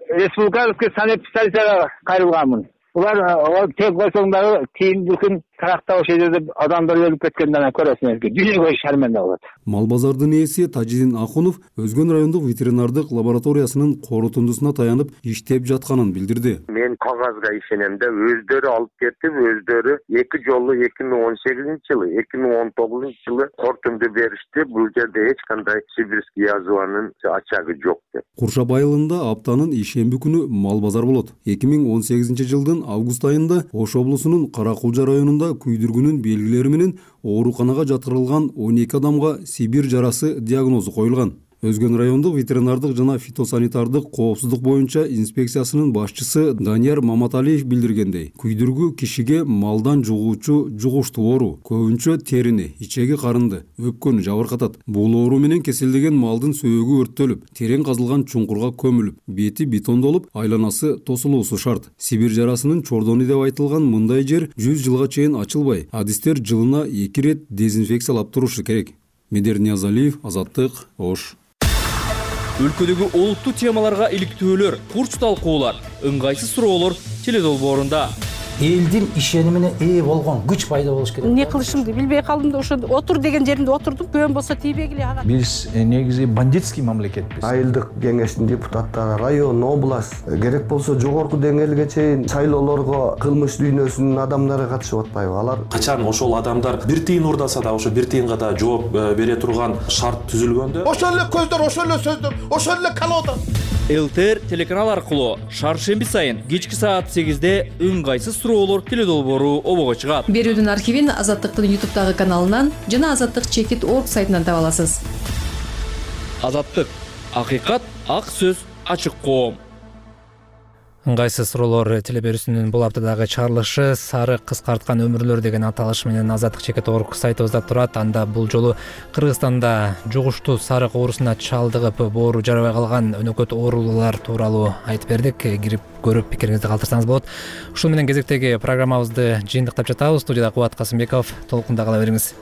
республикалык санэпидстанцияга кайрылганмын. Улар тек койсоңдагы тиимдүүлүкүн тарактап ошол жерде адамдар өлүп кеткенден көрөсүңөр. Дүйнөгө шарманда болот. Мал базардын ээси Тажидин Акунов Өзгөн райондук ветеринардык лабораториясынын корутундусуна таянып иштеп жатканын билдирди. Мен кагазга ишенем да, өздөрү алып кетип, өздөрү эки жолу эки миң он сегизинчи жылы, эки миң он тогузунчу жылы корутунду беришти. Бул жерде эч кандай сибирский язванын ачагы жок деп. Куршап айылында аптанын ишемби күнү мал базар болот. эки миң он сегизинчи жылдын август айында Ош облусунун Каракулжа районунда күйдүргүнүн белгилери менен ооруканага жаткырылган он эки адамга сибир жарасы диагнозу коюлган. Өзгөн райондук ветеринардык жана фитосанитардык коопсуздук боюнча инспекциясынын башчысы Данияр Маматалиев билдиргендей, күйдүргү кишиге малдан жугуучу жугуштуу оору, көбүнчө терини, ичеги карынды, өпкөнү жабыркатат. Бул оору менен кеселдеген малдын сөөгү өрттөлүп, терең казылган чуңкурга көмүлүп, бети бетондолуп, айланасы тосулуусу шарт. Сибир жарасынын чордону деп айтылган мындай жер жүз жылга чейин ачылбай, адистер жылына эки рет дезинфекциялап турушу керек. Медер Ниязалиев, Азаттык, Ош. Өлкөдөгү олуттуу темаларга иликтөөлөр, курч талкуулар, ыңгайсыз суроолор теледолбоорунда. элдин ишенимине ээ болгон күч пайда болуш керек. Эмне кылышымды билбей калдым да ошо отур деген жеримде отурдум. Көбөн болсо тийбегиле ага. Биз негизи бандитский мамлекетпиз. Айылдык кеңештин депутаттары, район, область, керек болсо жогорку деңгээлге чейин шайлоолорго кылмыш дүйнөсүнүн адамдары катышып атпайбы? Алар качан ошол адамдар бир тыйын урдаса да ошо бир тыйынга да жооп бере турган шарт түзүлгөндө ошол эле көздөр, ошол эле сөздөр, ошол эле колода. ЛТР телеканал аркылуу шаршемби сайын кечки саат сегизде ыңгайсыз суроолор теледолбоору обого чыгат. Берүүдүн архивин Азаттыктын ютубтагы каналынан жана Азаттык чекит точка орг сайтынан таба аласыз. Азаттык, акыйкат, ак сөз, ачык коом. Ыңгайсыз суроолор телеберүүсүнүн бул аптадагы чыгарылышы сары кыскарткан өмүрлөр деген аталыш менен Азаттык чекит точка орг сайтыбызда турат. Анда бул жолу Кыргызстанда жугуштуу сарык оорусуна чалдыгып боору жарабай калган өнөкөт оорулуулар тууралуу айтып бердик. Кирип көрүп пикириңизди калтырсаңыз болот. Ушул менен кезектеги программабызды жыйынтыктап жатабыз. Студияда Кубат Касымбеков, толкунда кала бериңиз.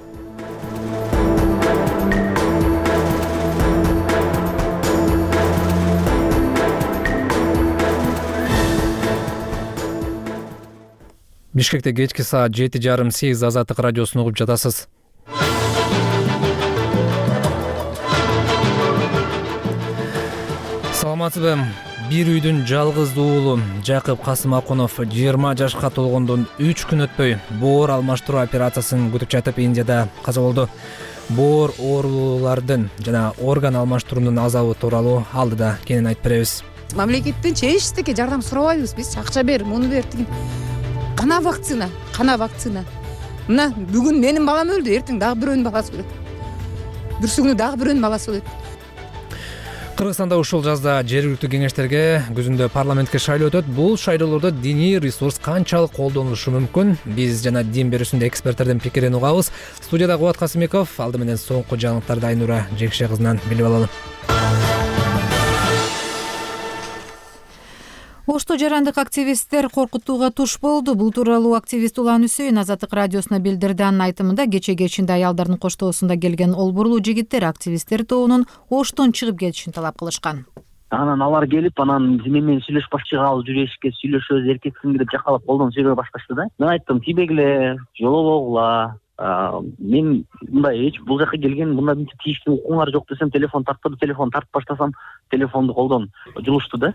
Бишкекте кечки саат жети жарым сегиз Азаттык радиосун угуп жатасыз. Саламатсызбы? Бир үйдүн жалгыз уулу Жакып Касымакунов жыйырма жашка толгондон үч күн өтпөй боор алмаштыруу операциясын күтүп жатып Индияда каза болду. Боор оорулуулардын жана орган алмаштыруунун азабы тууралуу алдыда кенен айтып беребиз. Мамлекеттен эчтеке жардам сурабайбыз биз. Акча бер, муну бер деген. Кана вакцина, кана вакцина. Мына бүгүн менин балам өлдү, эртең дагы бирөөнүн баласы өлөт. Бүрсүгүнү дагы бирөөнүн баласы өлөт. Кыргызстанда ушул жазда жергиликтүү кеңештерге, күзүндө парламентке шайлоо өтөт. Бул шайлоолордо диний ресурс канчалык колдонулушу мүмкүн? Биз жана дин берүүсүндө эксперттердин пикирин угабыз. Студияда Кубат Касымбеков, алды менен соңку жаңылыктарды Айнура Жекше кызынан билип алалы. Ошто жарандык активисттер коркутууга туш болду. Бул тууралуу активист Улан Үсөйүн Азаттык радиосуна билдирди. Анын айтымында кече кечинде аялдардын коштоосунда келген олбурлуу жигиттер активисттер тобунун Оштон чыгып кетишин талап кылышкан. Анан алар келип, анан менен сүйлөшпөчү калып жүрүшкө, сүйлөшөбүз, эркексиң деп жакалап колдон сүйлөй башташты да. Мен айттым, тийбегиле, жолобогула. Мен мындай эч бул жака келген, мындай мынтип тийиштүү укуңар жок десем, телефон тарттырды, телефон тартып баштасам, телефонду колдон жулушту да.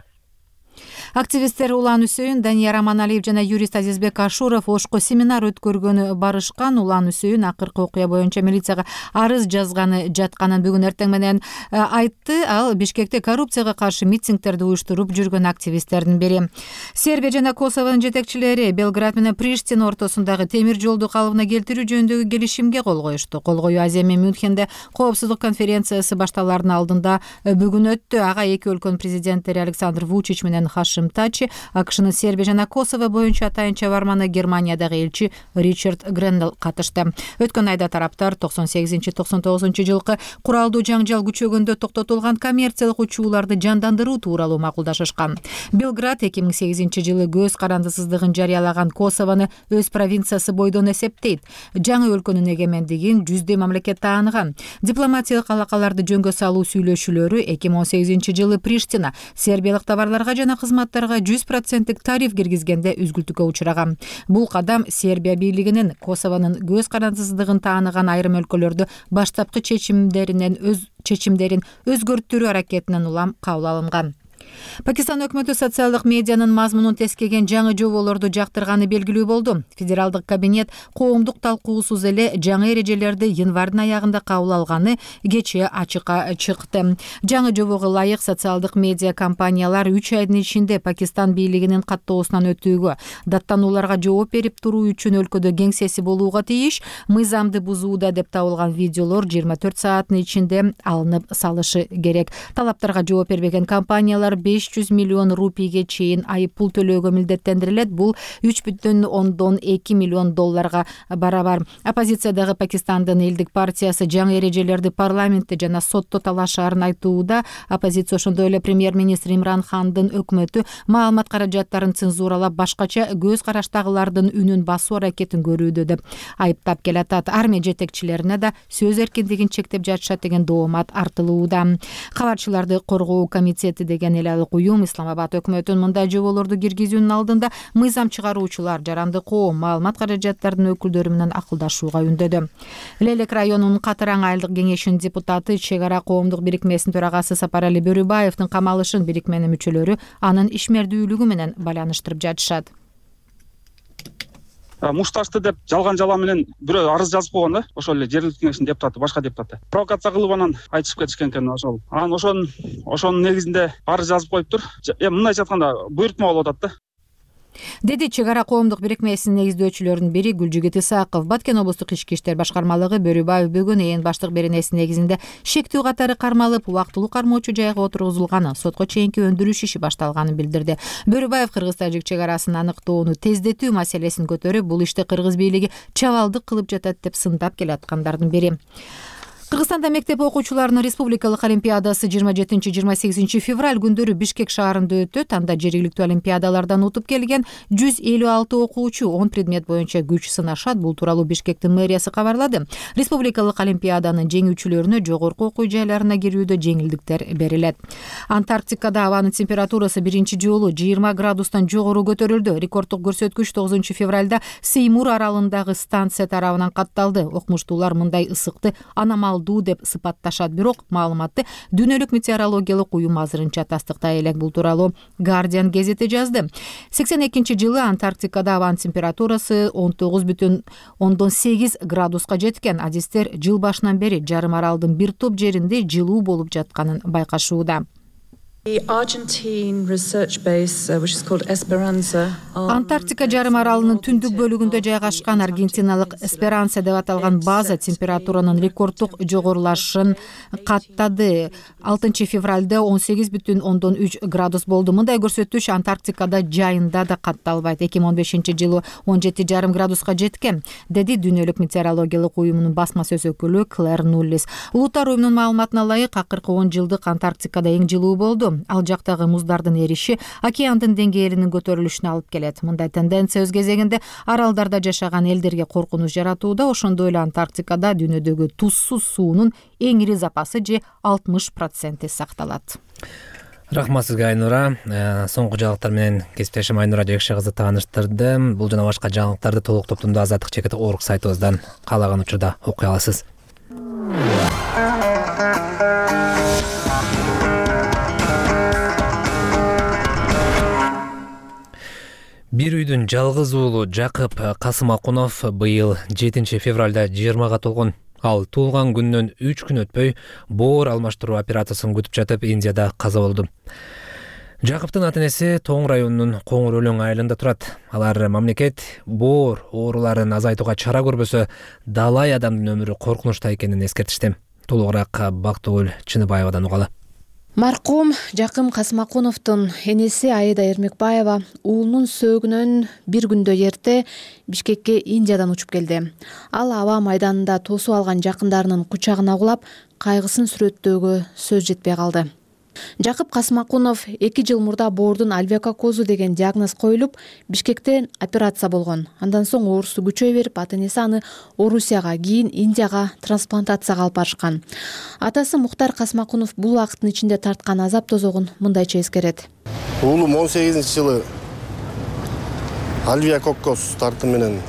Активисттер Улан Үсөйүн, Данияр Аманалиев жана юрист Азизбек Ашуров Ошко семинар өткөргөнү барышкан. Улан Үсөйүн акыркы окуя боюнча милицияга арыз жазганы жатканын бүгүн эртең менен айтты. Ал Бишкекте коррупцияга каршы митингдерди уюштуруп жүргөн активисттердин бири. Сербия жана Косовонун жетекчилери Белград менен Приштина ортосундагы темир жолду калыбына келтирүү жөнүндөгү келишимге кол коюшту. Кол коюу Азия менен Мюнхенде коопсуздук конференциясы башталаарынын алдында бүгүн өттү. Ага эки өлкөнүн президенттери Александр Вучич менен Хашим Тачи, АКШнын Сербия жана Косово боюнча атайынча барманы Германиядагы элчи Ричард Грендел катышты. Өткөн айда тараптар токсон сегизинчи токсон тогузунчу жылкы куралдуу жаңжал күчөгөндө токтотулган коммерциялык учууларды жандандыруу тууралуу макулдашышкан. Белград эки миң сегизинчи жылы көз карандысыздыгын жарыялаган Косовону өз провинциясы бойдон эсептейт. Жаңы өлкөнүн эгемендигин жүздөй мамлекет тааныган. Дипломатиялык алакаларды жөнгө салуу сүйлөшүүлөрү эки миң он сегизинчи жылы Приштина сербиялык товарларга жана кызматтарга жүз проценттик тариф киргизгенде үзгүлтүккө учураган. Бул кадам Сербия бийлигинин Косовонун көз карандысыздыгын тааныган айрым өлкөлөрдө баштапкы чечимдеринен өз чечимдерин өзгөртүүрүү аракетинен улам кабыл алынган. Пакистан өкмөтү социалдык медианын мазмунун тескеген жаңы жоболорду жактырганы белгилүү болду. Федералдык кабинет коомдук талкуусуз эле жаңы эрежелерди январдын аягында кабыл алганы кечээ ачыкка чыкты. Жаңы жобого ылайык социалдык медиа компаниялар үч айдын ичинде Пакистан бийлигинин каттоосунан өтүүгө, даттанууларга жооп берип туруу үчүн өлкөдө кеңсеси болууга тийиш, мыйзамды бузууда деп табылган видеолор жыйырма төрт сааттын ичинде алынып салышы керек. Талаптарга жооп бербеген компаниялар беш жүз миллион рупийге чейин айып пул төлөөгө милдеттендирилет. Бул үч бүтүн ондон эки миллион долларга барабар. Оппозициядагы Пакистандын элдик партиясы жаңы эрежелерди парламентте жана сотто талашаарын айтууда. Оппозиция ошондой эле премьер-министр Имран Хандын өкмөтү маалымат каражаттарын цензуралап, башкача көз караштагылардын үнүн басуу аракетин көрүүдө деп айыптап келатат. Армия жетекчилерине да сөз эркиндигин чектеп жатышат деген доомат артылууда. Кабарчыларды коргоо комитети деген эле айлалык уюм Исламабад өкмөтүнүн мындай жоболорду киргизүүнүн алдында мыйзам чыгаруучулар, жарандык коом, маалымат каражаттарынын өкүлдөрү менен акылдашууга үндөдү. Лелек районунун Катыраң айылдык кеңешинин депутаты, Чек ара коомдук бирикмесинин төрагасы Сапарали Бөрүбаевдин камалышын бирикменин мүчөлөрү анын ишмердүүлүгү менен байланыштырып жатышат. Мушташты деп жалган жала менен бирөө арыз жазып койгон да, ошол эле жергиликтүү кеңештин депутаты, башка депутаты. Провокация кылып анан айтышып кетишкен экен ошол. Анан ошонун ошонун негизинде арыз жазып коюптур. Эми мындайча айтканда буйртма болуп атат да. Деди Чек ара коомдук бирикмесинин негиздөөчүлөрүнүн бири Гүлжигит Исаков. Баткен облустук ички иштер башкармалыгы Бөрүбаев бүгүн ээн баштык беренеси негизинде шектүү катары кармалып, убактылуу кармоочу жайга отургузулганы, сотко чейинки өндүрүш иши башталганын билдирди. Бөрүбаев кыргыз-тажик чек арасын аныктоону тездетүү маселесин көтөрүп, бул ишти кыргыз бийлиги чабалдык кылып жатат деп сындап келаткандардын бири. Кыргызстанда мектеп окуучуларынын республикалык олимпиадасы жыйырма жетинчи жыйырма сегизинчи февраль күндөрү Бишкек шаарында өтөт. Анда жергиликтүү олимпиадалардан утуп келген жүз элүү алты окуучу он предмет боюнча күч сынашат. Бул тууралуу Бишкектин мэриясы кабарлады. Республикалык олимпиаданын жеңүүчүлөрүнө жогорку окуу жайларына кирүүдө жеңилдиктер берилет. Антарктикада абанын температурасы биринчи жолу жыйырма градустан жогору көтөрүлдү. Рекорддук көрсөткүч тогузунчу февралда Сеймур аралындагы станция тарабынан катталды. Окумуштуулар мындай ысыкты аномал деп сыпатташат, бирок маалыматты дүйнөлүк метеорологиялык уюм азырынча тастыктай элек. Бул тууралуу Guardian гезити жазды. сексен экинчи жылы Антарктикада абанын температурасы он тогуз бүтүн ондон сегиз градуска жеткен. Адистер жыл башынан бери жарым аралдын бир топ жеринде жылуу болуп жатканын байкашууда. Антарктика жарым аралынын түндүк бөлүгүндө жайгашкан Аргентиналык Эсперанса деп аталган база температуранын рекорддук жогорулашын каттады. алтынчы февралда он сегиз бүтүн ондон үч градус болду. Мындай көрсөткүч Антарктикада жайында да катталбайт. эки миң он бешинчи жылы он жети жарым градуска жеткен, деди дүйнөлүк метеорологиялык уюмунун басма сөз өкүлү Клэр Нуллис. Улуттар уюмунун маалыматына ылайык, акыркы он жылдык Антарктикада эң жылуу болду. Ал жактагы муздардын эриши океандын деңгээлинин көтөрүлүшүнө алып келет. Мындай тенденция өз кезегинде аралдарда жашаган элдерге коркунуч жаратууда. Ошондой эле Антарктикада дүйнөдөгү тузсуз суунун эң ири запасы же алтымыш проценти сакталат. Рахмат сизге, Айнура. Соңку жаңылыктар менен кесиптешим Айнура Жекше кызы тааныштырды. Бул жана башка жаңылыктарды толук топтомдо азаттык чекит точка орг сайтыбыздан каалаган учурда окуй аласыз. Бир үйдүн жалгыз уулу Жакып Касымакунов быйыл жетинчи февралда жыйырмага толгон. Ал туулган күндөн үч күн өтпөй боор алмаштыруу операциясын күтүп жатып Индияда каза болду. Жакыптын ата-энеси Тоң районунун Коңур Өлөң айылында турат. Алар мамлекет боор ооруларын азайтууга чара көрбөсө, далай адамдын өмүрү коркунучта экенин эскертишти. Толугураак Бактыгүл Чыныбаевадан угалы. Маркум Жакым Касымакуновдун энеси Аида Эрмекбаева уулунун сөөгүнөн бир күндө эрте Бишкекке Индиядан учуп келди. Ал аба майданында тосуп алган жакындарынын кучагына кулап, кайгысын сүрөттөөгө сөз жетпей калды. Жакып Касымакунов эки жыл мурда боордун альвеококозу деген диагноз коюлуп, Бишкекте операция болгон. Андан соң оорусу күчөй берип, ата-энеси аны Орусияга, кийин Индияга трансплантацияга алып барышкан. Атасы Мухтар Касымакунов бул убакыттын ичинде тарткан азап тозогун мындайча эскерет. Уулум он сегизинчи жылы альвеококоз тарты менен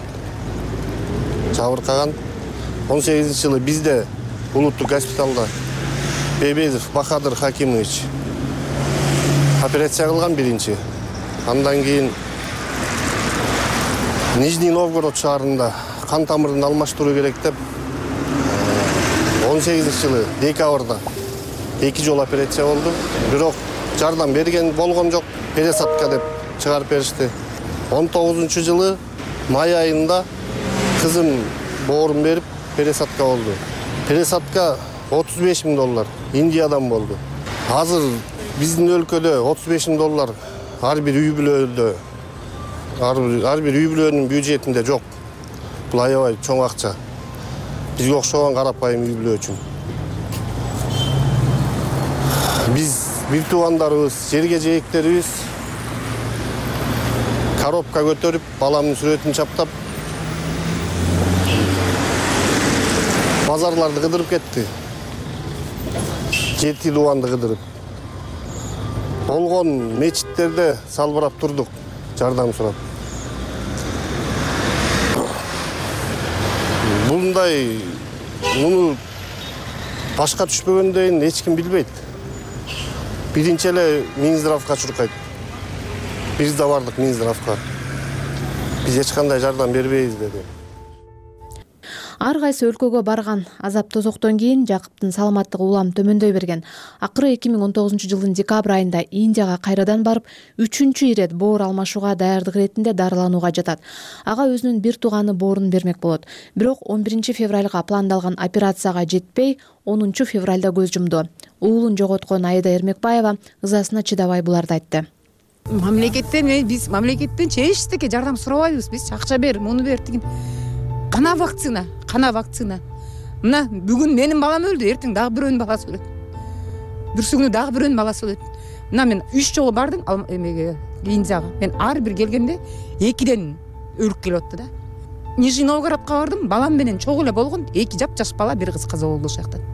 жабыркаган. он сегизинчи жылы бизде улуттук госпиталда Бебезов Бахадыр Хакимович операция кылган биринчи. Андан кийин Нижний Новгород шаарында кан тамырын алмаштыруу керек деп он сегизинчи жылы декабрда эки жолу операция болду. Бирок жардам берген болгон жок, пересадка деп чыгарып беришти. он тогузунчу жылы май айында кызым боорун берип пересадка болду. Пересадка отуз беш миң доллар Индиядан болду. Азыр биздин өлкөдө отуз беш миң доллар ар бир үй бүлөдө, ар бир үй бүлөнүн бюджетинде жок. Бул аябай чоң акча. Бизге окшогон карапайым үй бүлө үчүн. Биз бир туугандарыбыз, жерге жээктерибиз коробка көтөрүп, баламдын сүрөтүн чаптап, базарларды кыдырып кетти. Жети тууганды кыдырып. болгон мечиттерде салбырап турдук, жардам сурап. Мындай муну башка түшпөгөндөн эч ким билбейт. Биринчи эле Минздравга чуркайт. Биз да бардык Минздравга. Биз эч кандай жардам бербейбиз деди. Ар кайсы өлкөгө барган азап тозоктон кийин Жакыптын саламаттыгы улам төмөндөй берген. Акыры эки миң он тогузунчу жылдын декабрь айында Индияга кайрадан барып, үчүнчү ирет боор алмашууга даярдык иретинде дарыланууга жатат. Ага өзүнүн бир тууганы боорун бермек болот. Бирок он биринчи февралга пландалган операцияга жетпей, онунчу февралда көз жумду. Уулун жоготкон Айда Эрмекбаева ызасына чыдабай буларды айтты. Мамлекеттен биз мамлекеттен эчтеке жардам сурабайбыз. Биз акча бер, муну бер деген. Кана вакцина, кана вакцина. Мына бүгүн менин балам өлдү, эртең дагы бирөөнүн баласы өлөт. Бүрсүгүнү дагы бирөөнүн баласы өлөт. Мына мен үч жолу бардым эмеге, Индияга. Мен ар бир келгенде экиден өлүп келип атты да. Нижний Новгородко бардым, балам менен чогуу эле болгон, эки жапжаш бала, бир кыз каза болду ошол жактан.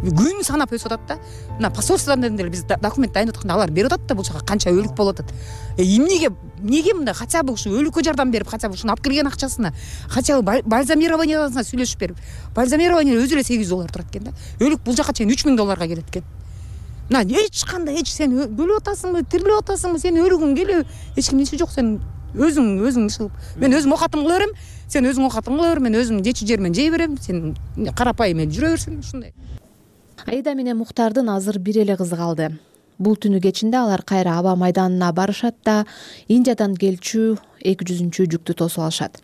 Күн санап өсүп атат да. Мына посольстводан деле биз документ дайындап атканда алар берип атат да, бул жака канча өлүк болуп атат. Эмнеге, эмнеге мындай хотя бы ушу өлүккө жардам берип, хотя бы ушуну алып келген акчасына, хотя бы бальзамированиясына сүйлөшүп берип. Бальзамирование өзү эле сегиз жүз доллар турат экен да. Өлүк бул жака чейин үч миң долларга келет экен. Мына эч кандай, эч сен өлүп атасыңбы, тирилип атасыңбы, сен өлүгүң келеби? Эч кимдин иши жок, сен өзүң өзүң иши. Мен өзүм окатым кыла берем, сен өзүң окатың кыла бер, мен өзүм жечү жер менен жей берем, сен карапайым эле жүрө берсин, ушундай. Аида менен Муктардын азыр бир эле кызы калды. Бул түнү кечинде алар кайра аба майданына барышат да Индиядан келчү эки жүзүнчү жүктү тосуп алышат.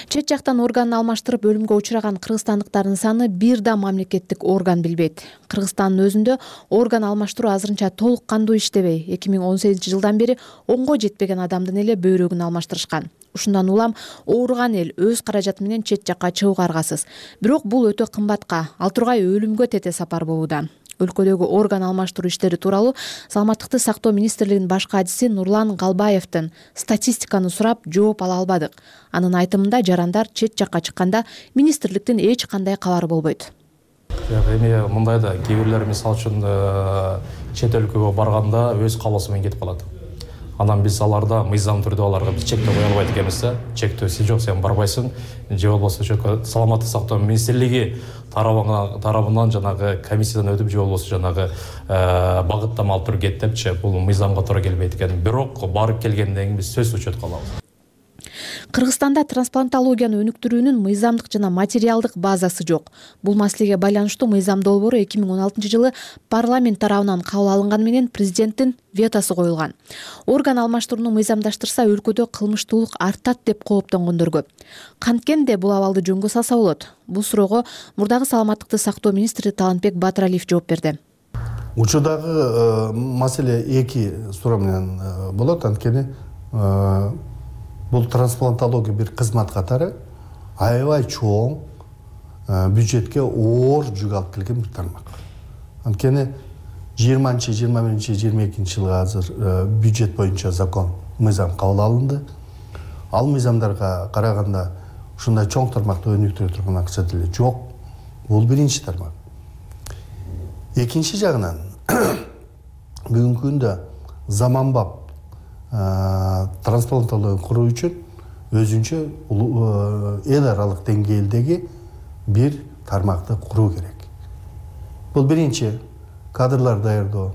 Чет жактан органын алмаштырып өлүмгө учураган кыргызстандыктардын саны бир да мамлекеттик орган билбейт. Кыргызстандын өзүндө орган алмаштыруу азырынча толук кандуу иштебей, эки миң он сегизинчи жылдан бери онго жетпеген адамдын эле бөйрөгүн алмаштырышкан. Ушундан улам ооруган эл өз каражаты менен чет жакка чыгууга аргасыз. Бирок бул өтө кымбатка, ал тургай өлүмгө тете сапар болууда. Өлкөдөгү орган алмаштыруу иштери тууралуу Саламаттыкты сактоо министрлигинин баш катчысы Нурлан Галбаевдин статистиканы сурап жооп ала албадык. Анын айтымында жарандар чет жакка чыкканда министрликтин эч кандай кабары болбойт. Жок, эми мындай да, кээ бирлер мисалы үчүн чет өлкөгө барганда өз каалоосу менен кетип калат. Анан биз аларда мыйзам түрдө аларга биз чектөө кое албайт экенбиз да. Чектөөсү жок, сен барбайсың. Же болбосо саламаттык сактоо министрлиги тарабынан жанагы комиссиядан өтүп, же болбосо жанагы багыттама алып туруп кет депчи, бул мыйзамга туура келбейт экен. Бирок барып келгенден кийин биз сөзсүз учетко алабыз. Кыргызстанда трансплантологияны өнүктүрүүнүн мыйзамдык жана материалдык базасы жок. Бул маселеге байланыштуу мыйзам долбоору эки миң он алтынчы жылы парламент тарабынан кабыл алынганы менен президенттин ветосу коюлган. Орган алмаштырууну мыйзамдаштырса өлкөдө кылмыштуулук артат деп кооптонгондор көп. Канткенде бул абалды жөнгө салса болот? Бул суроого мурдагы саламаттыкты сактоо министри Талантбек Батыралиев жооп берди. Учурдагы маселе эки суроо менен болот, анткени бул трансплантология бир кызмат катары аябай чоң бюджетке оор жүк алып келген бир тармак. Анткени жыйырманчы, жыйырма биринчи, жыйырма экинчи жылга азыр бюджет боюнча закон, мыйзам кабыл алынды. Ал мыйзамдарга караганда ушундай чоң тармакты өнүктүрө турган акча деле жок. Бул биринчи тармак. Экинчи жагынан бүгүнкү күндө заманбап трансплантология куруу үчүн өзүнчө эл аралык деңгээлдеги бир тармакты куруу керек. Бул биринчи кадрлар даярдоо,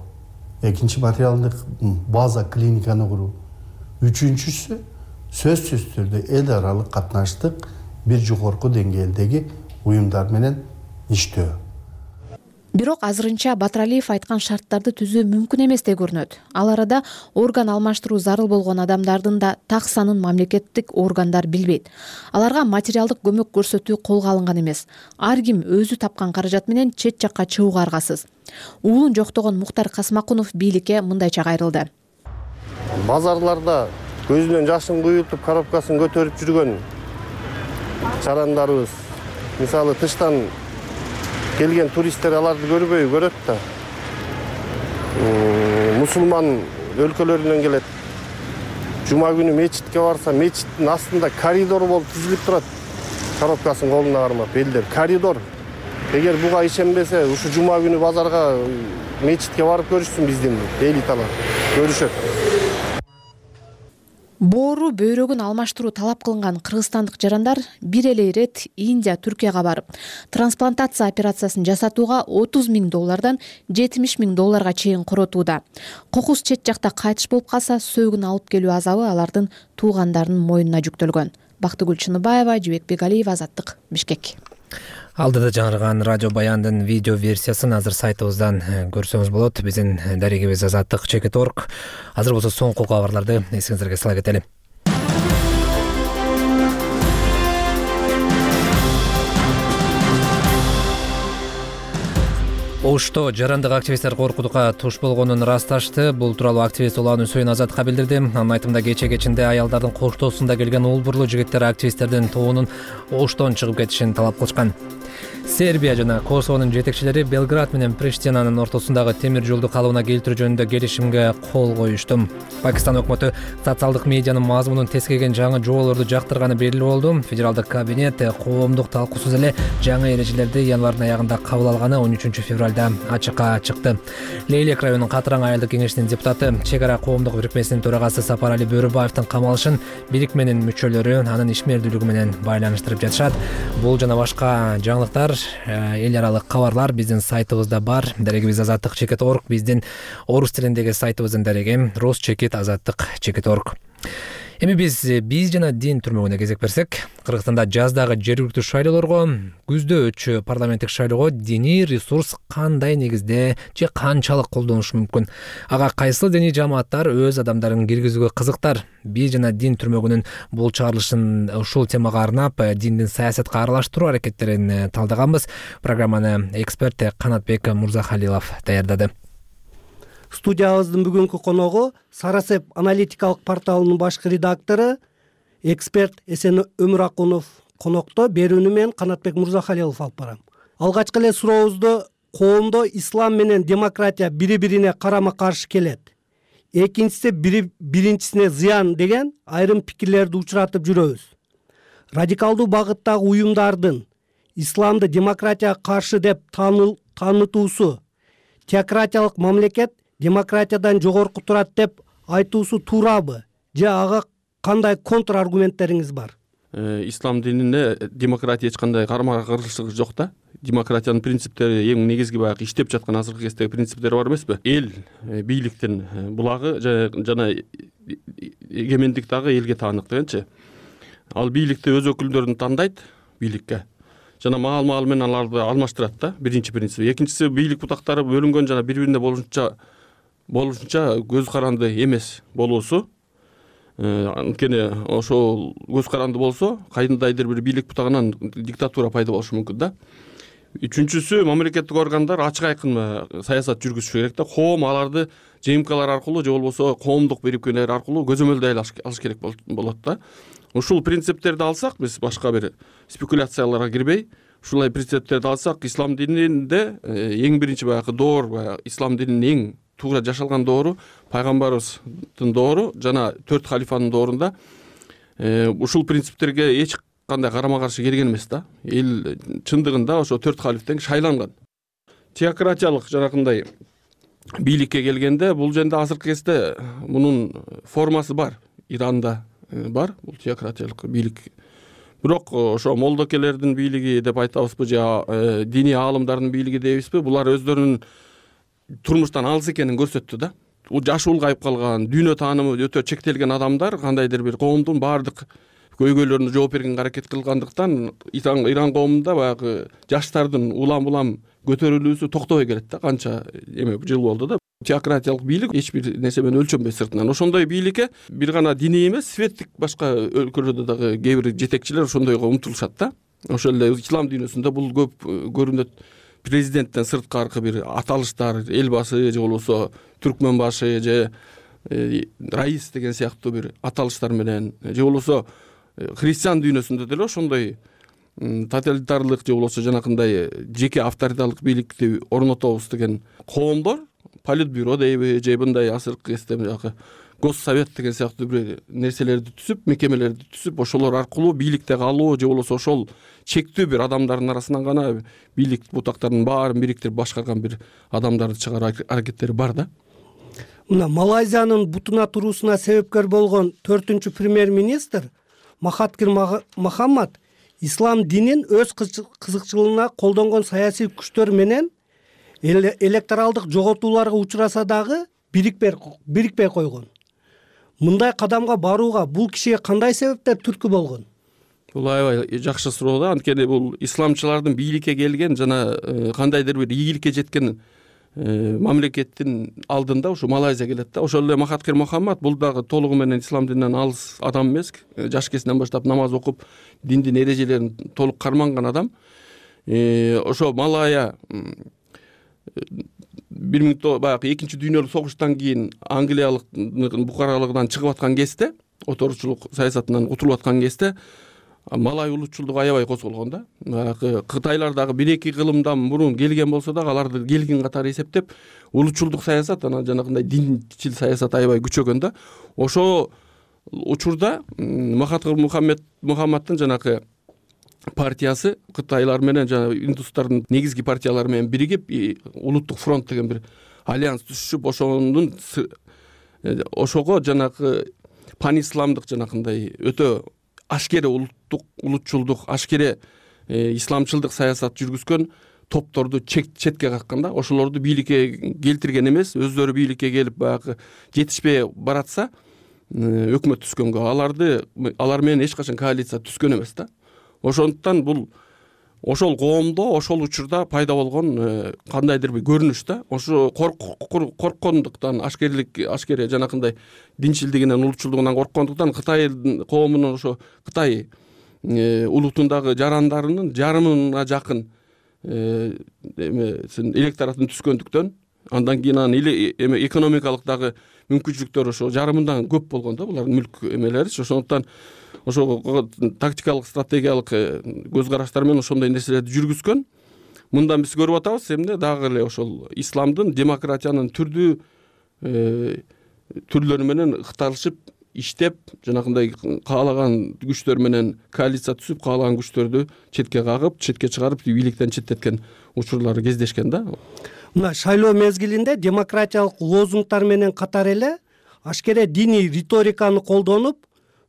экинчи материалдык база клиниканы куруу, үчүнчүсү сөзсүз түрдө эл аралык катнаштык бир жогорку деңгээлдеги уюмдар менен иштөө. Бирок азырынча Батыралиев айткан шарттарды түзүү мүмкүн эместей көрүнөт. Ал арада орган алмаштыруу зарыл болгон адамдардын да так санын мамлекеттик органдар билбейт. Аларга материалдык көмөк көрсөтүү колго алынган эмес. Ар ким өзү тапкан каражат менен чет жакка чыгууга аргасыз. Уулун жоктогон Муктар Касмакунов бийликке мындайча кайрылды. Базарларда көзүнөн жашын куютуп, коробкасын көтөрүп жүргөн жарандарыбыз, мисалы тыштан келген туристтер аларды көрбөй көрөт да. Мусулман өлкөлөрүнөн келет. Жума күнү мечитке барса, мечиттин астында коридор болуп тизилип турат. Коробкасын колуна кармап, элдер коридор. эгер буга ишенбесе ушу жума күнү базарга мечитке барып көрүшсүн, биздин элиталар көрүшөт. Боору бөйрөгүн алмаштыруу талап кылынган кыргызстандык жарандар бир эле ирет Индия, Түркияга барып, трансплантация операциясын жасатууга отуз миң доллардан жетимиш миң долларга чейин коротууда. Кокус чет жакта кайтыш болуп калса, сөөгүн алып келүү азабы алардын туугандарынын мойнуна жүктөлгөн. Бактыгүл Чыныбаева, Жибек Бегалиев, Азаттык, Бишкек. Алдыда жаңырган радио баяндын видео версиясын азыр сайтыбыздан көрсөңүз болот. Биздин дарегибиз азаттык чекит точка орг. Азыр болсо соңку кабарларды эсиңиздерге сала кетели. Ошто жарандык активисттер коркутукка туш болгонун ырасташты. Бул тууралуу активист Улан Үсөйүн Азатка билдирди. Анын айтымында кече кечинде аялдардын коштоосунда келген улбурлуу жигиттер активисттердин тобунун Оштон чыгып кетишин талап кылышкан. Сербия жана Косовонун жетекчилери Белград менен Приштинанын ортосундагы темир жолду калыбына келтирүү жөнүндө келишимге кол коюшту. Пакистан өкмөтү социалдык медианын мазмунун тескеген жаңы жоболорду жактырганы белгилүү болду. Федералдык кабинет коомдук талкуусуз эле жаңы эрежелерди январдын аягында кабыл алганы он үчүнчү февралда ачыкка чыкты. Лейлек районунун Катыраң айылдык кеңешинин депутаты, чек ара коомдук бирикмесинин төрагасы Сапарали Бөрүбаевдин камалышын бирикменин мүчөлөрү анын ишмердүүлүгү менен байланыштырып жатышат. Бул жана башка жаңылыктар, эл аралык кабарлар биздин сайтыбызда бар. Дарегибиз азаттык чекит точка орг, биздин орус тилиндеги сайтыбыздын дареги Росчекит азаттык чекит точка орг. Эми биз биз жана дин түрмөгүнө кезек берсек, Кыргызстанда жаздагы жергиликтүү шайлоолорго, күздө өтчү парламенттик шайлоого диний ресурс кандай негизде же канчалык колдонушу мүмкүн? Ага кайсыл диний жамааттар өз адамдарын киргизүүгө кызыктар? Биз жана дин түрмөгүнүн бул чыгарылышын ушул темага арнап, диндин саясатка аралаштыруу аракеттерин талдаганбыз. Программаны эксперт Канатбек Мурзахалилов даярдады. Студиябыздын бүгүнкү коногу Сарасеп аналитикалык порталынын башкы редактору, эксперт Эсен Өмүракунов. Конокто берүүнү мен Канатбек Мурзахалилов алып барам. Алгачкы эле сурообузду коомдо ислам менен демократия бири-бирине карама-каршы келет. Экинчиси бири биринчисине зыян деген айрым пикирлерди учуратып жүрөбүз. Радикалдуу багыттагы уюмдардын исламды демократияга каршы деп таанытуусу, теократиялык мамлекет демократиядан жогорку турат деп айтуусу туурабы? Же ага кандай контр аргументтериңиз бар? Ислам динине демократия эч кандай карама-каршылыгы жок да. Демократиянын принциптери эң негизги баягы иштеп жаткан азыркы кездеги принциптери бар эмеспи? Эл бийликтин булагы жана эгемендик дагы элге таанык дегенчи. Ал бийликти өз өкүлдөрүн тандайт бийликке. Жана маал-маал менен аларды алмаштырат да. Биринчи принцип. Экинчиси бийлик бутактары бөлүнгөн жана бири-бирине болушунча болушунча көз каранды эмес болуусу. Анткени ошол көз каранды болсо, кайдандайдыр бир бийлик бутагынан диктатура пайда болушу мүмкүн да. Үчүнчүсү, мамлекеттик органдар ачык айкын саясат жүргүзүшү керек да. Коом аларды ЖМКлар аркылуу же болбосо коомдук бирикмелер аркылуу көзөмөлдөй алыш керек болот да. Ушул принциптерди алсак, биз башка бир спекуляцияларга кирбей, ушулай принциптерди алсак, ислам дининде эң биринчи баягы доор, баягы ислам дининин эң туура жашалган доору пайгамбарыбыздын доору жана төрт халифанын доорунда ушул принциптерге эч кандай карама-каршы келген эмес да. Эл чындыгында ошо төрт халифтен шайланган. Теократиялык жанакындай бийликке келгенде, бул жерде азыркы кезде мунун формасы бар. Иранда бар бул теократиялык бийлик. Бирок ошо молдокелердин бийлиги деп айтабызбы же диний аалымдардын бийлиги дейбизби? Булар өздөрүнүн турмуштан алыс экенин көрсөттү да. Жашы улгайып калган, дүйнө таанымы өтө чектелген адамдар кандайдыр бир коомдун баардык көйгөйлөрүнө жооп бергенге аракет кылгандыктан Иран коомунда баягы жаштардын улам-улам көтөрүлүүсү токтобой келет да. Канча эме жыл болду да. Теократиялык бийлик эч бир нерсе менен өлчөнбөй сыртынан. Ошондой бийликке бир гана диний эмес, светтик башка өлкөлөрдө дагы кээ бир жетекчилер ошондойго умтулушат да. Ошол эле ислам дүйнөсүндө бул көп көрүнөт. Президенттен сырткаркы бир аталыштар, эл башы же болбосо түркмөн башы же раис деген сыяктуу бир аталыштар менен же болбосо христиан дүйнөсүндө деле ошондой тоталитарлык же болбосо жанакындай жеке авторитарлык бийликти орнотобуз деген коомдор политбюро дейби же мындай азыркы кезде госсовет деген сыяктуу бир нерселерди түзүп, мекемелерди түзүп, ошолор аркылуу бийликте калуу же болбосо ошол чектүү бир адамдардын арасынан гана бийлик бутактарынын баарын бириктирип башкарган бир адамдарды чыгаруу аракеттери бар да. Мына Малайзиянын бутуна туруусуна себепкер болгон төртүнчү премьер-министр Махатхир Мохаммад ислам динин өз кызыкчылыгына колдонгон саясий күчтөр менен электоралдык жоготууларга учураса дагы бирикпей койгон. Мындай кадамга барууга бул кишиге кандай себептер түрткү болгон? Бул аябай жакшы суроо да. Анткени бул исламчылардын бийликке келген жана кандайдыр бир ийгиликке жеткен мамлекеттин алдында ушу Малайзия келет да. Ошол эле Махатхир Мохаммад бул дагы толугу менен ислам дининен алыс адам эмес. Жаш кезинен баштап намаз окуп, диндин эрежелерин толук карманган адам. Ошо Малайя бир миң баягы экинчи дүйнөлүк согуштан кийин Англиялыктын букаралыгынан чыгып аткан кезде, оторчулук саясатынан кутулуп аткан кезде Малай улутчулдугу аябай козголгон да. Баягы Кытайлар дагы бир эки кылымдан мурун келген болсо дагы аларды келгин катары эсептеп, улутчулдук саясат, анан жанагындай динчил саясат аябай күчөгөн да. Ошо учурда Махатхир Мохаммаддын жанагы партиясы Кытайлар менен жана индустардын негизги партиялары менен биригип улуттук фронт деген бир альянс түзүшүп, ошонун ошого жанагы панисламдык жанагындай өтө ашкере улуттук улутчулдук, ашкере исламчылдык саясат жүргүзгөн топторду четке каккан да. Ошолорду бийликке келтирген эмес, өздөрү бийликке келип баягы жетишпей баратса өкмөт түзгөнгө, аларды алар менен эч качан коалиция түзгөн эмес да. Ошондуктан бул ошол коомдо ошол учурда пайда болгон кандайдыр бир көрүнүш да. Ошо корккондуктан, ашкерлик ашкере жанакындай динчилдигинен, улутчулдугунан корккондуктан Кытай коомунун ошо Кытай улутундагы жарандарынын жарымына жакын электоратын түзгөндүктөн, андан кийин анын эме экономикалык дагы мүмкүнчүлүктөрү ошо жарымындан көп болгон да булардын мүлк эмелеричи. Ошондуктан ошо тактикалык, стратегиялык көз караштар менен ошондой нерселерди жүргүзгөн. Мындан биз көрүп атабыз эмне дагы эле ошол исламдын демократиянын түрдүү түрлөрү менен ыкталышып иштеп, жанагындай каалаган күчтөр менен коалиция түзүп, каалаган күчтөрдү четке кагып, четке чыгарып, бийликтен четтеткен учурлары кездешкен да. Мына шайлоо мезгилинде демократиялык лозунгтар менен катар эле ашкере диний риториканы колдонуп,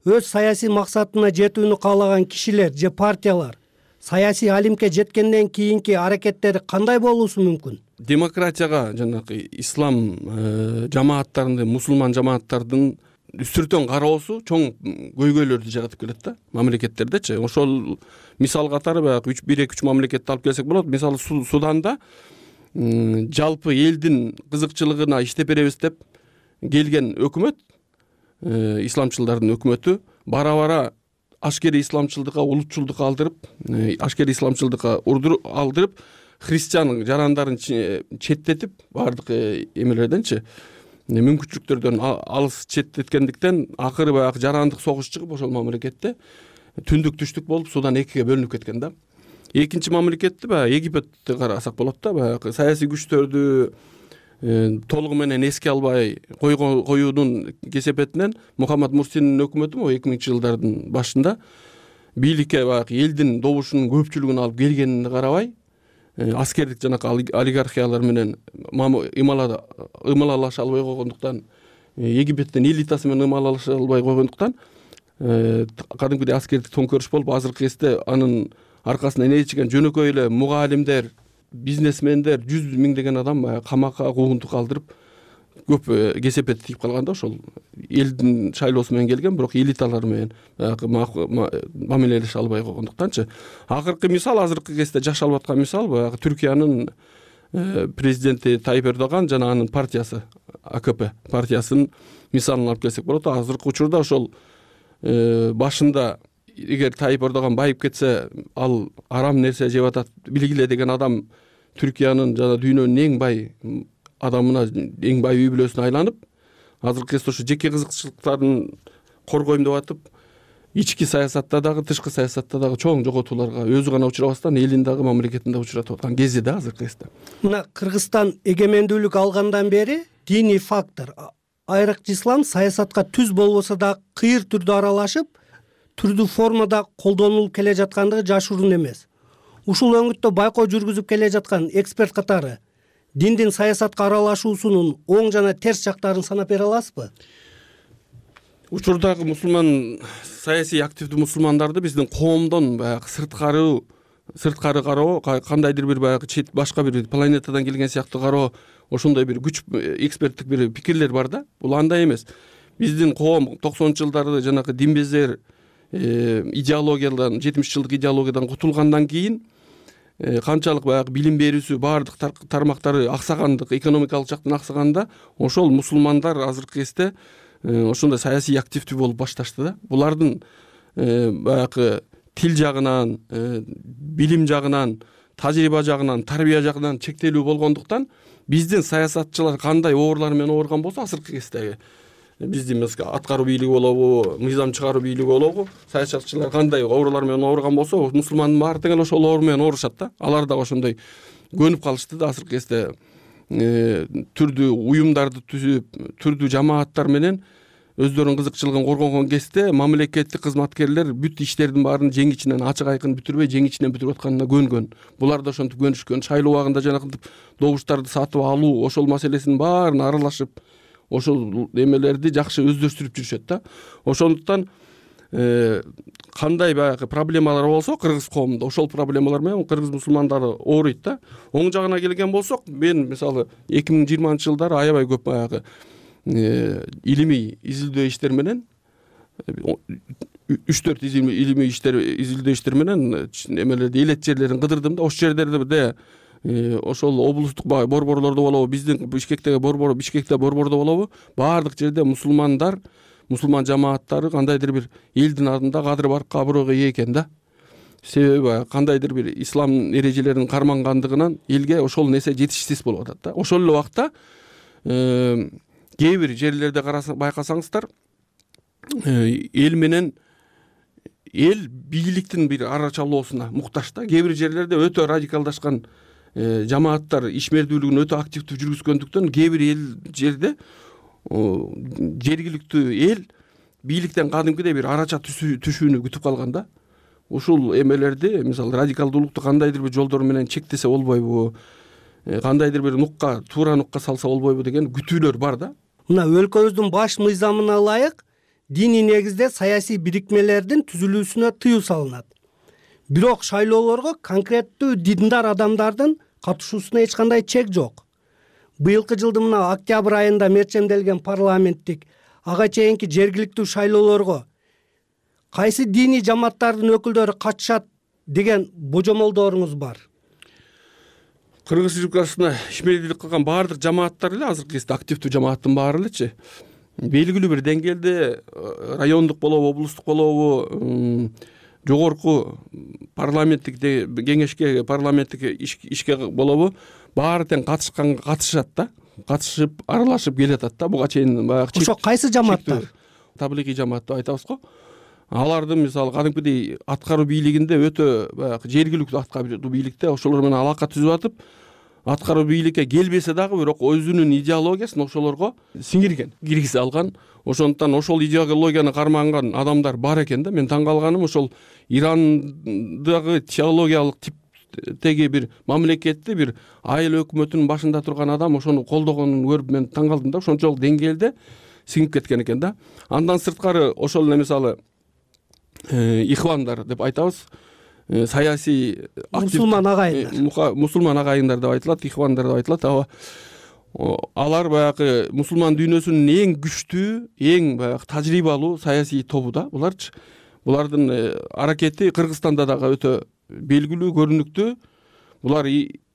өз саясий максатына жетүүнү каалаган кишилер же партиялар саясий алимке жеткенден кийинки аракеттери кандай болуусу мүмкүн? Демократияга жанагы ислам жамааттарынын, мусулман жамааттардын үстүртөн кароосу чоң көйгөйлөрдү жаратып келет да мамлекеттердечи. Ошол мисал катары баягы бир эки үч мамлекетти алып келсек болот. Мисалы Суданда жалпы элдин кызыкчылыгына иштеп беребиз деп келген өкмөт, исламчылдардын өкмөтү бара-бара ашкере исламчылдыкка, улутчулдукка алдырып, ашкере исламчылдыкка урдуруп алдырып, христиан жарандарын четтетип, баардык эмелерденчи мүмкүнчүлүктөрдөн алыс четтеткендиктен акыры баягы жарандык согуш чыгып, ошол мамлекетте түндүк түштүк болуп, Судан экиге бөлүнүп кеткен да. Экинчи мамлекетти баягы Египетти карасак болот да, баягы саясий күчтөрдү толугу менен эске албай коюунун кесепетинен Мухаммад Мурсинин өкмөтү могу эки миңинчи жылдардын башында бийликке баягы элдин добушунун көпчүлүгүн алып келгенине карабай, аскердик жанакы олигархиялар менен ымалалаша албай койгондуктан, Египеттин элитасы менен ымалалаша албай койгондуктан кадимкидей аскердик төңкөрүш болуп, азыркы кезде анын аркасынан ээрчиген жөнөкөй эле мугалимдер, бизнесмендер, жүз миңдеген адам камакка, куугунтукка алдырып көп кесепет тийип калган да. Ошол элдин шайлоосу менен келген, бирок элиталар менен мамилелеше албай койгондуктанчы. Акыркы мисал, азыркы кезде жашалып аткан мисал баягы Түркиянын президенти Тайып Эрдоган жана анын партиясы, А К П партиясынын мисалын алып келсек болот. Азыркы учурда ошол башында эгер Тайып Эрдоган байып кетсе, ал арам нерсе жеп атат билгиле деген адам Түркиянын жана дүйнөнүн эң бай адамына, эң бай үй бүлөсүнө айланып, азыркы кезде ушу жеке кызыкчылыктарын коргойм деп атып, ички саясатта дагы, тышкы саясатта дагы чоң жоготууларга өзү гана учурабастан элин дагы, мамлекетин дагы учуратып аткан кези да азыркы кезде. Мына Кыргызстан эгемендүүлүк алгандан бери диний фактор, айрыкчы ислам саясатка түз болбосо да кыйыр түрдө аралашып, түрдүү формада колдонулуп келе жаткандыгы жашыруун эмес. Ушул өңүттө байкоо жүргүзүп келе жаткан эксперт катары диндин саясатка аралашуусунун оң жана терс жактарын санап бере аласызбы? Учурдагы мусулман саясий активдүү мусулмандарды биздин коомдон баягы сырткары сырткары кароо, кандайдыр бир баягы чет башка бир планетадан келген сыяктуу кароо, ошондой бир күч эксперттик бир пикирлер бар да. Бул андай эмес. Биздин коом токсонунчу жылдары жанагы динбезер идеологиядан, жетимиш жылдык идеологиядан кутулгандан кийин канчалык баягы билим берүүсү баардык тармактары аксагандык, экономикалык жактан аксаганда, ошол мусулмандар азыркы кезде ошондой саясий активдүү болуп башташты да. Булардын баягы тил жагынан, билим жагынан, тажрыйба жагынан, тарбия жагынан чектелүү болгондуктан биздин саясатчылар кандай оорулар менен ооруган болсо, азыркы кездеги биздин аткаруу бийлиги болобу, мыйзам чыгаруу бийлиги болобу, саясатчылар кандай оорулар менен ооруган болсо, мусулмандын баары тең эле ошол оору менен оорушат да. Алар да ошондой көнүп калышты да азыркы кезде түрдүү уюмдарды түзүп, түрдүү жамааттар менен өздөрүнүн кызыкчылыгын коргогон кезде мамлекеттик кызматкерлер бүт иштердин баарын жең ичинен ачык айкын бүтүрбөй, жең ичинен бүтүрүп атканына көнгөн. Булар да ошентип көнүшкөн. Шайлоо убагында жанагынтип добуштарды сатып алуу, ошол маселесинин баарына аралашып, ошол эмелерди жакшы өздөштүрүп жүрүшөт да. Ошондуктан кандай баягы проблемалар болсо кыргыз коомунда, ошол проблемалар менен кыргыз мусулмандары ооруйт да. Оң жагына келген болсок, мен мисалы эки миң жыйырманчы жылдары аябай көп баягы илимий изилдөө иштер менен үч төрт илимий иштер изилдөө иштер менен эмелерди элет жерлерин кыдырдым да. Ошол жерлерде ошол облустук борборлордо болобу, биздин Бишкектеги борбор, Бишкекте борбордо болобу, баардык жерде мусулмандар, мусулман жамааттары кандайдыр бир элдин алдында кадыр баркка абройго ээ экен да. Себеби кандайдыр бир ислам эрежелерин кармангандыгынан элге ошол нерсе жетишсиз болуп атат да. Ошол эле убакта кээ бир жерлерде байкасаңыздар, эл менен эл бийликтин бир арачалоосуна муктаж да. Кээ бир жерлерде өтө радикалдашкан жамааттар ишмердүүлүгүн өтө активдүү жүргүзгөндүктөн кээ бир эл жерде жергиликтүү эл бийликтен кадимкидей бир арача түшүүнү күтүп калган да. Ушул эмелерди, мисалы радикалдуулукту кандайдыр бир жолдор менен чектесе болбойбу, кандайдыр бир нукка, туура нукка салса болбойбу деген күтүүлөр бар да. Мына өлкөбүздүн баш мыйзамына ылайык диний негизде саясий бирикмелердин түзүлүүсүнө тыюу салынат. Бирок шайлоолорго конкреттүү диндар адамдардын катышуусуна эч кандай чек жок. Быйылкы жылдын мына октябрь айында мерчемделген парламенттик ага чейинки жергиликтүү шайлоолорго кайсы диний жамааттардын өкүлдөрү катышат деген божомолдоруңуз бар? Кыргыз Республикасына ишмердүүлүк кылган баардык жамааттар эле азыркы кезде активдүү жамааттын баары элечи белгилүү бир деңгээлде райондук болобу, облустук болобу, жогорку парламенттик кеңешке, парламенттик ишке болобу, баары тең катышканга катышат да. Катышып, аралашып келатат да. Буга чейин баягы ошо кайсы жамааттар? Таблигий жамаат деп айтабыз го. Алардын мисалы кадимкидей аткаруу бийлигинде өтө баягы жергиликтүү аткаруу бийликте ошолор менен алака түзүп атып, аткаруу бийликке келбесе дагы бирок өзүнүн идеологиясын ошолорго сиңирген, киргизе алган. Ошондуктан ошол идеологияны карманган адамдар бар экен да. Мен таң калганым ошол Ирандагы теологиялык типтеги бир мамлекетти бир айыл өкмөтүнүн башында турган адам ошону колдогонун көрүп мен таң калдым да. Ошончолук деңгээлде сиңип кеткен экен да. Андан сырткары ошол эле мисалы ихвандар деп айтабыз, саясий мусулман агайындар, мусулман агайындар деп айтылат, ихвандар деп айтылат. Алар баягы мусулман дүйнөсүнүн эң күчтүү, эң баягы тажрыйбалуу саясий тобу да. Буларчы булардын аракети Кыргызстанда дагы өтө белгилүү, көрүнүктүү. Булар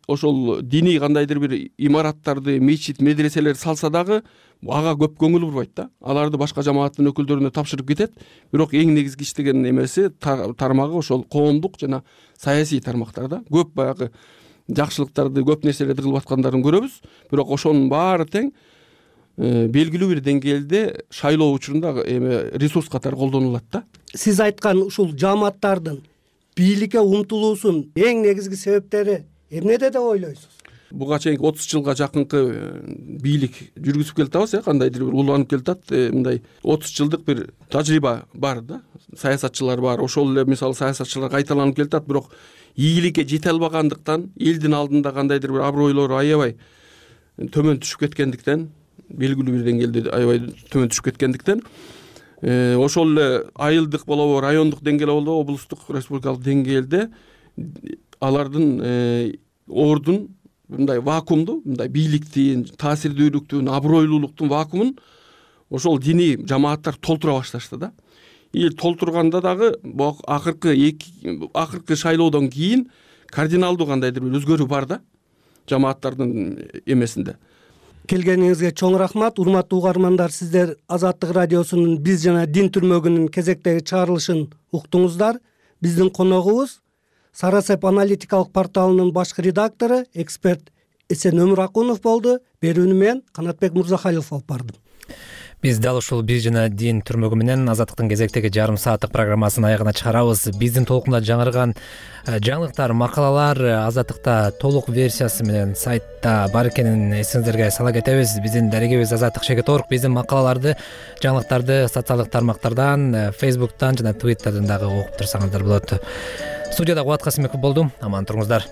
ошол диний кандайдыр бир имараттарды, мечит, медреселер салса дагы ага көп көңүл бурбайт да. Аларды башка жамааттын өкүлдөрүнө тапшырып кетет. Бирок эң негизги иштеген эмеси тармагы ошол коомдук жана саясий тармактарда. Көп баягы жакшылыктарды, көп нерселерди кылып аткандарын көрөбүз. Бирок ошонун баары тең белгилүү бир деңгээлде шайлоо учурунда эме ресурс катары колдонулат да. Сиз айткан ушул жамааттардын бийликке умтулуусунун эң негизги себептери эмнеде деп ойлойсуз? буга чейинки отуз жылга жакынкы бийлик жүргүзүп келатабыз, э кандайдыр бир уланып келатат. Мындай отуз жылдык бир тажрыйба бар да, саясатчылар бар. Ошол эле мисалы саясатчылар кайталанып келатат, бирок ийгиликке жете албагандыктан, элдин алдында кандайдыр бир абройлору аябай төмөн түшүп кеткендиктен, белгилүү бир деңгээлде аябай төмөн түшүп кеткендиктен, ошол эле айылдык болобу, райондук деңгээлде болобу, облустук, республикалык деңгээлде алардын ордун мындай вакуумду, мындай бийликтин, таасирдүүлүктүн, абройлуулуктун вакуумун ошол диний жамааттар толтура башташты да. И толтурганда дагы акыркы эки акыркы шайлоодон кийин кардиналдуу кандайдыр бир өзгөрүү бар да жамааттардын эмесинде. Келгениңизге чоң рахмат. Урматтуу угармандар, сиздер Азаттык радиосунун Биз жана дин түрмөгүнүн кезектеги чыгарылышын уктуңуздар. Биздин коногубуз Сарасеп аналитикалык порталынын башкы редактору, эксперт Эсен Өмүракунов болду. Берүүнү мен Канатбек Мурзахалилов алып бардым. Биз дал ушул Биз жана дин түрмөгү менен Азаттыктын кезектеги жарым сааттык программасын аягына чыгарабыз. Биздин толкунда жаңырган жаңылыктар, макалалар Азаттыкта толук версиясы менен сайтта бар экенин эсиңиздерге сала кетебиз. Биздин дарегибиз азаттык чекит точка орг. Биздин макалаларды, жаңылыктарды социалдык тармактардан, Facebook'тан жана Twitter'дан дагы окуп турсаңыздар болот. Студияда Кубат Касымбеков болдум. Аман туруңуздар.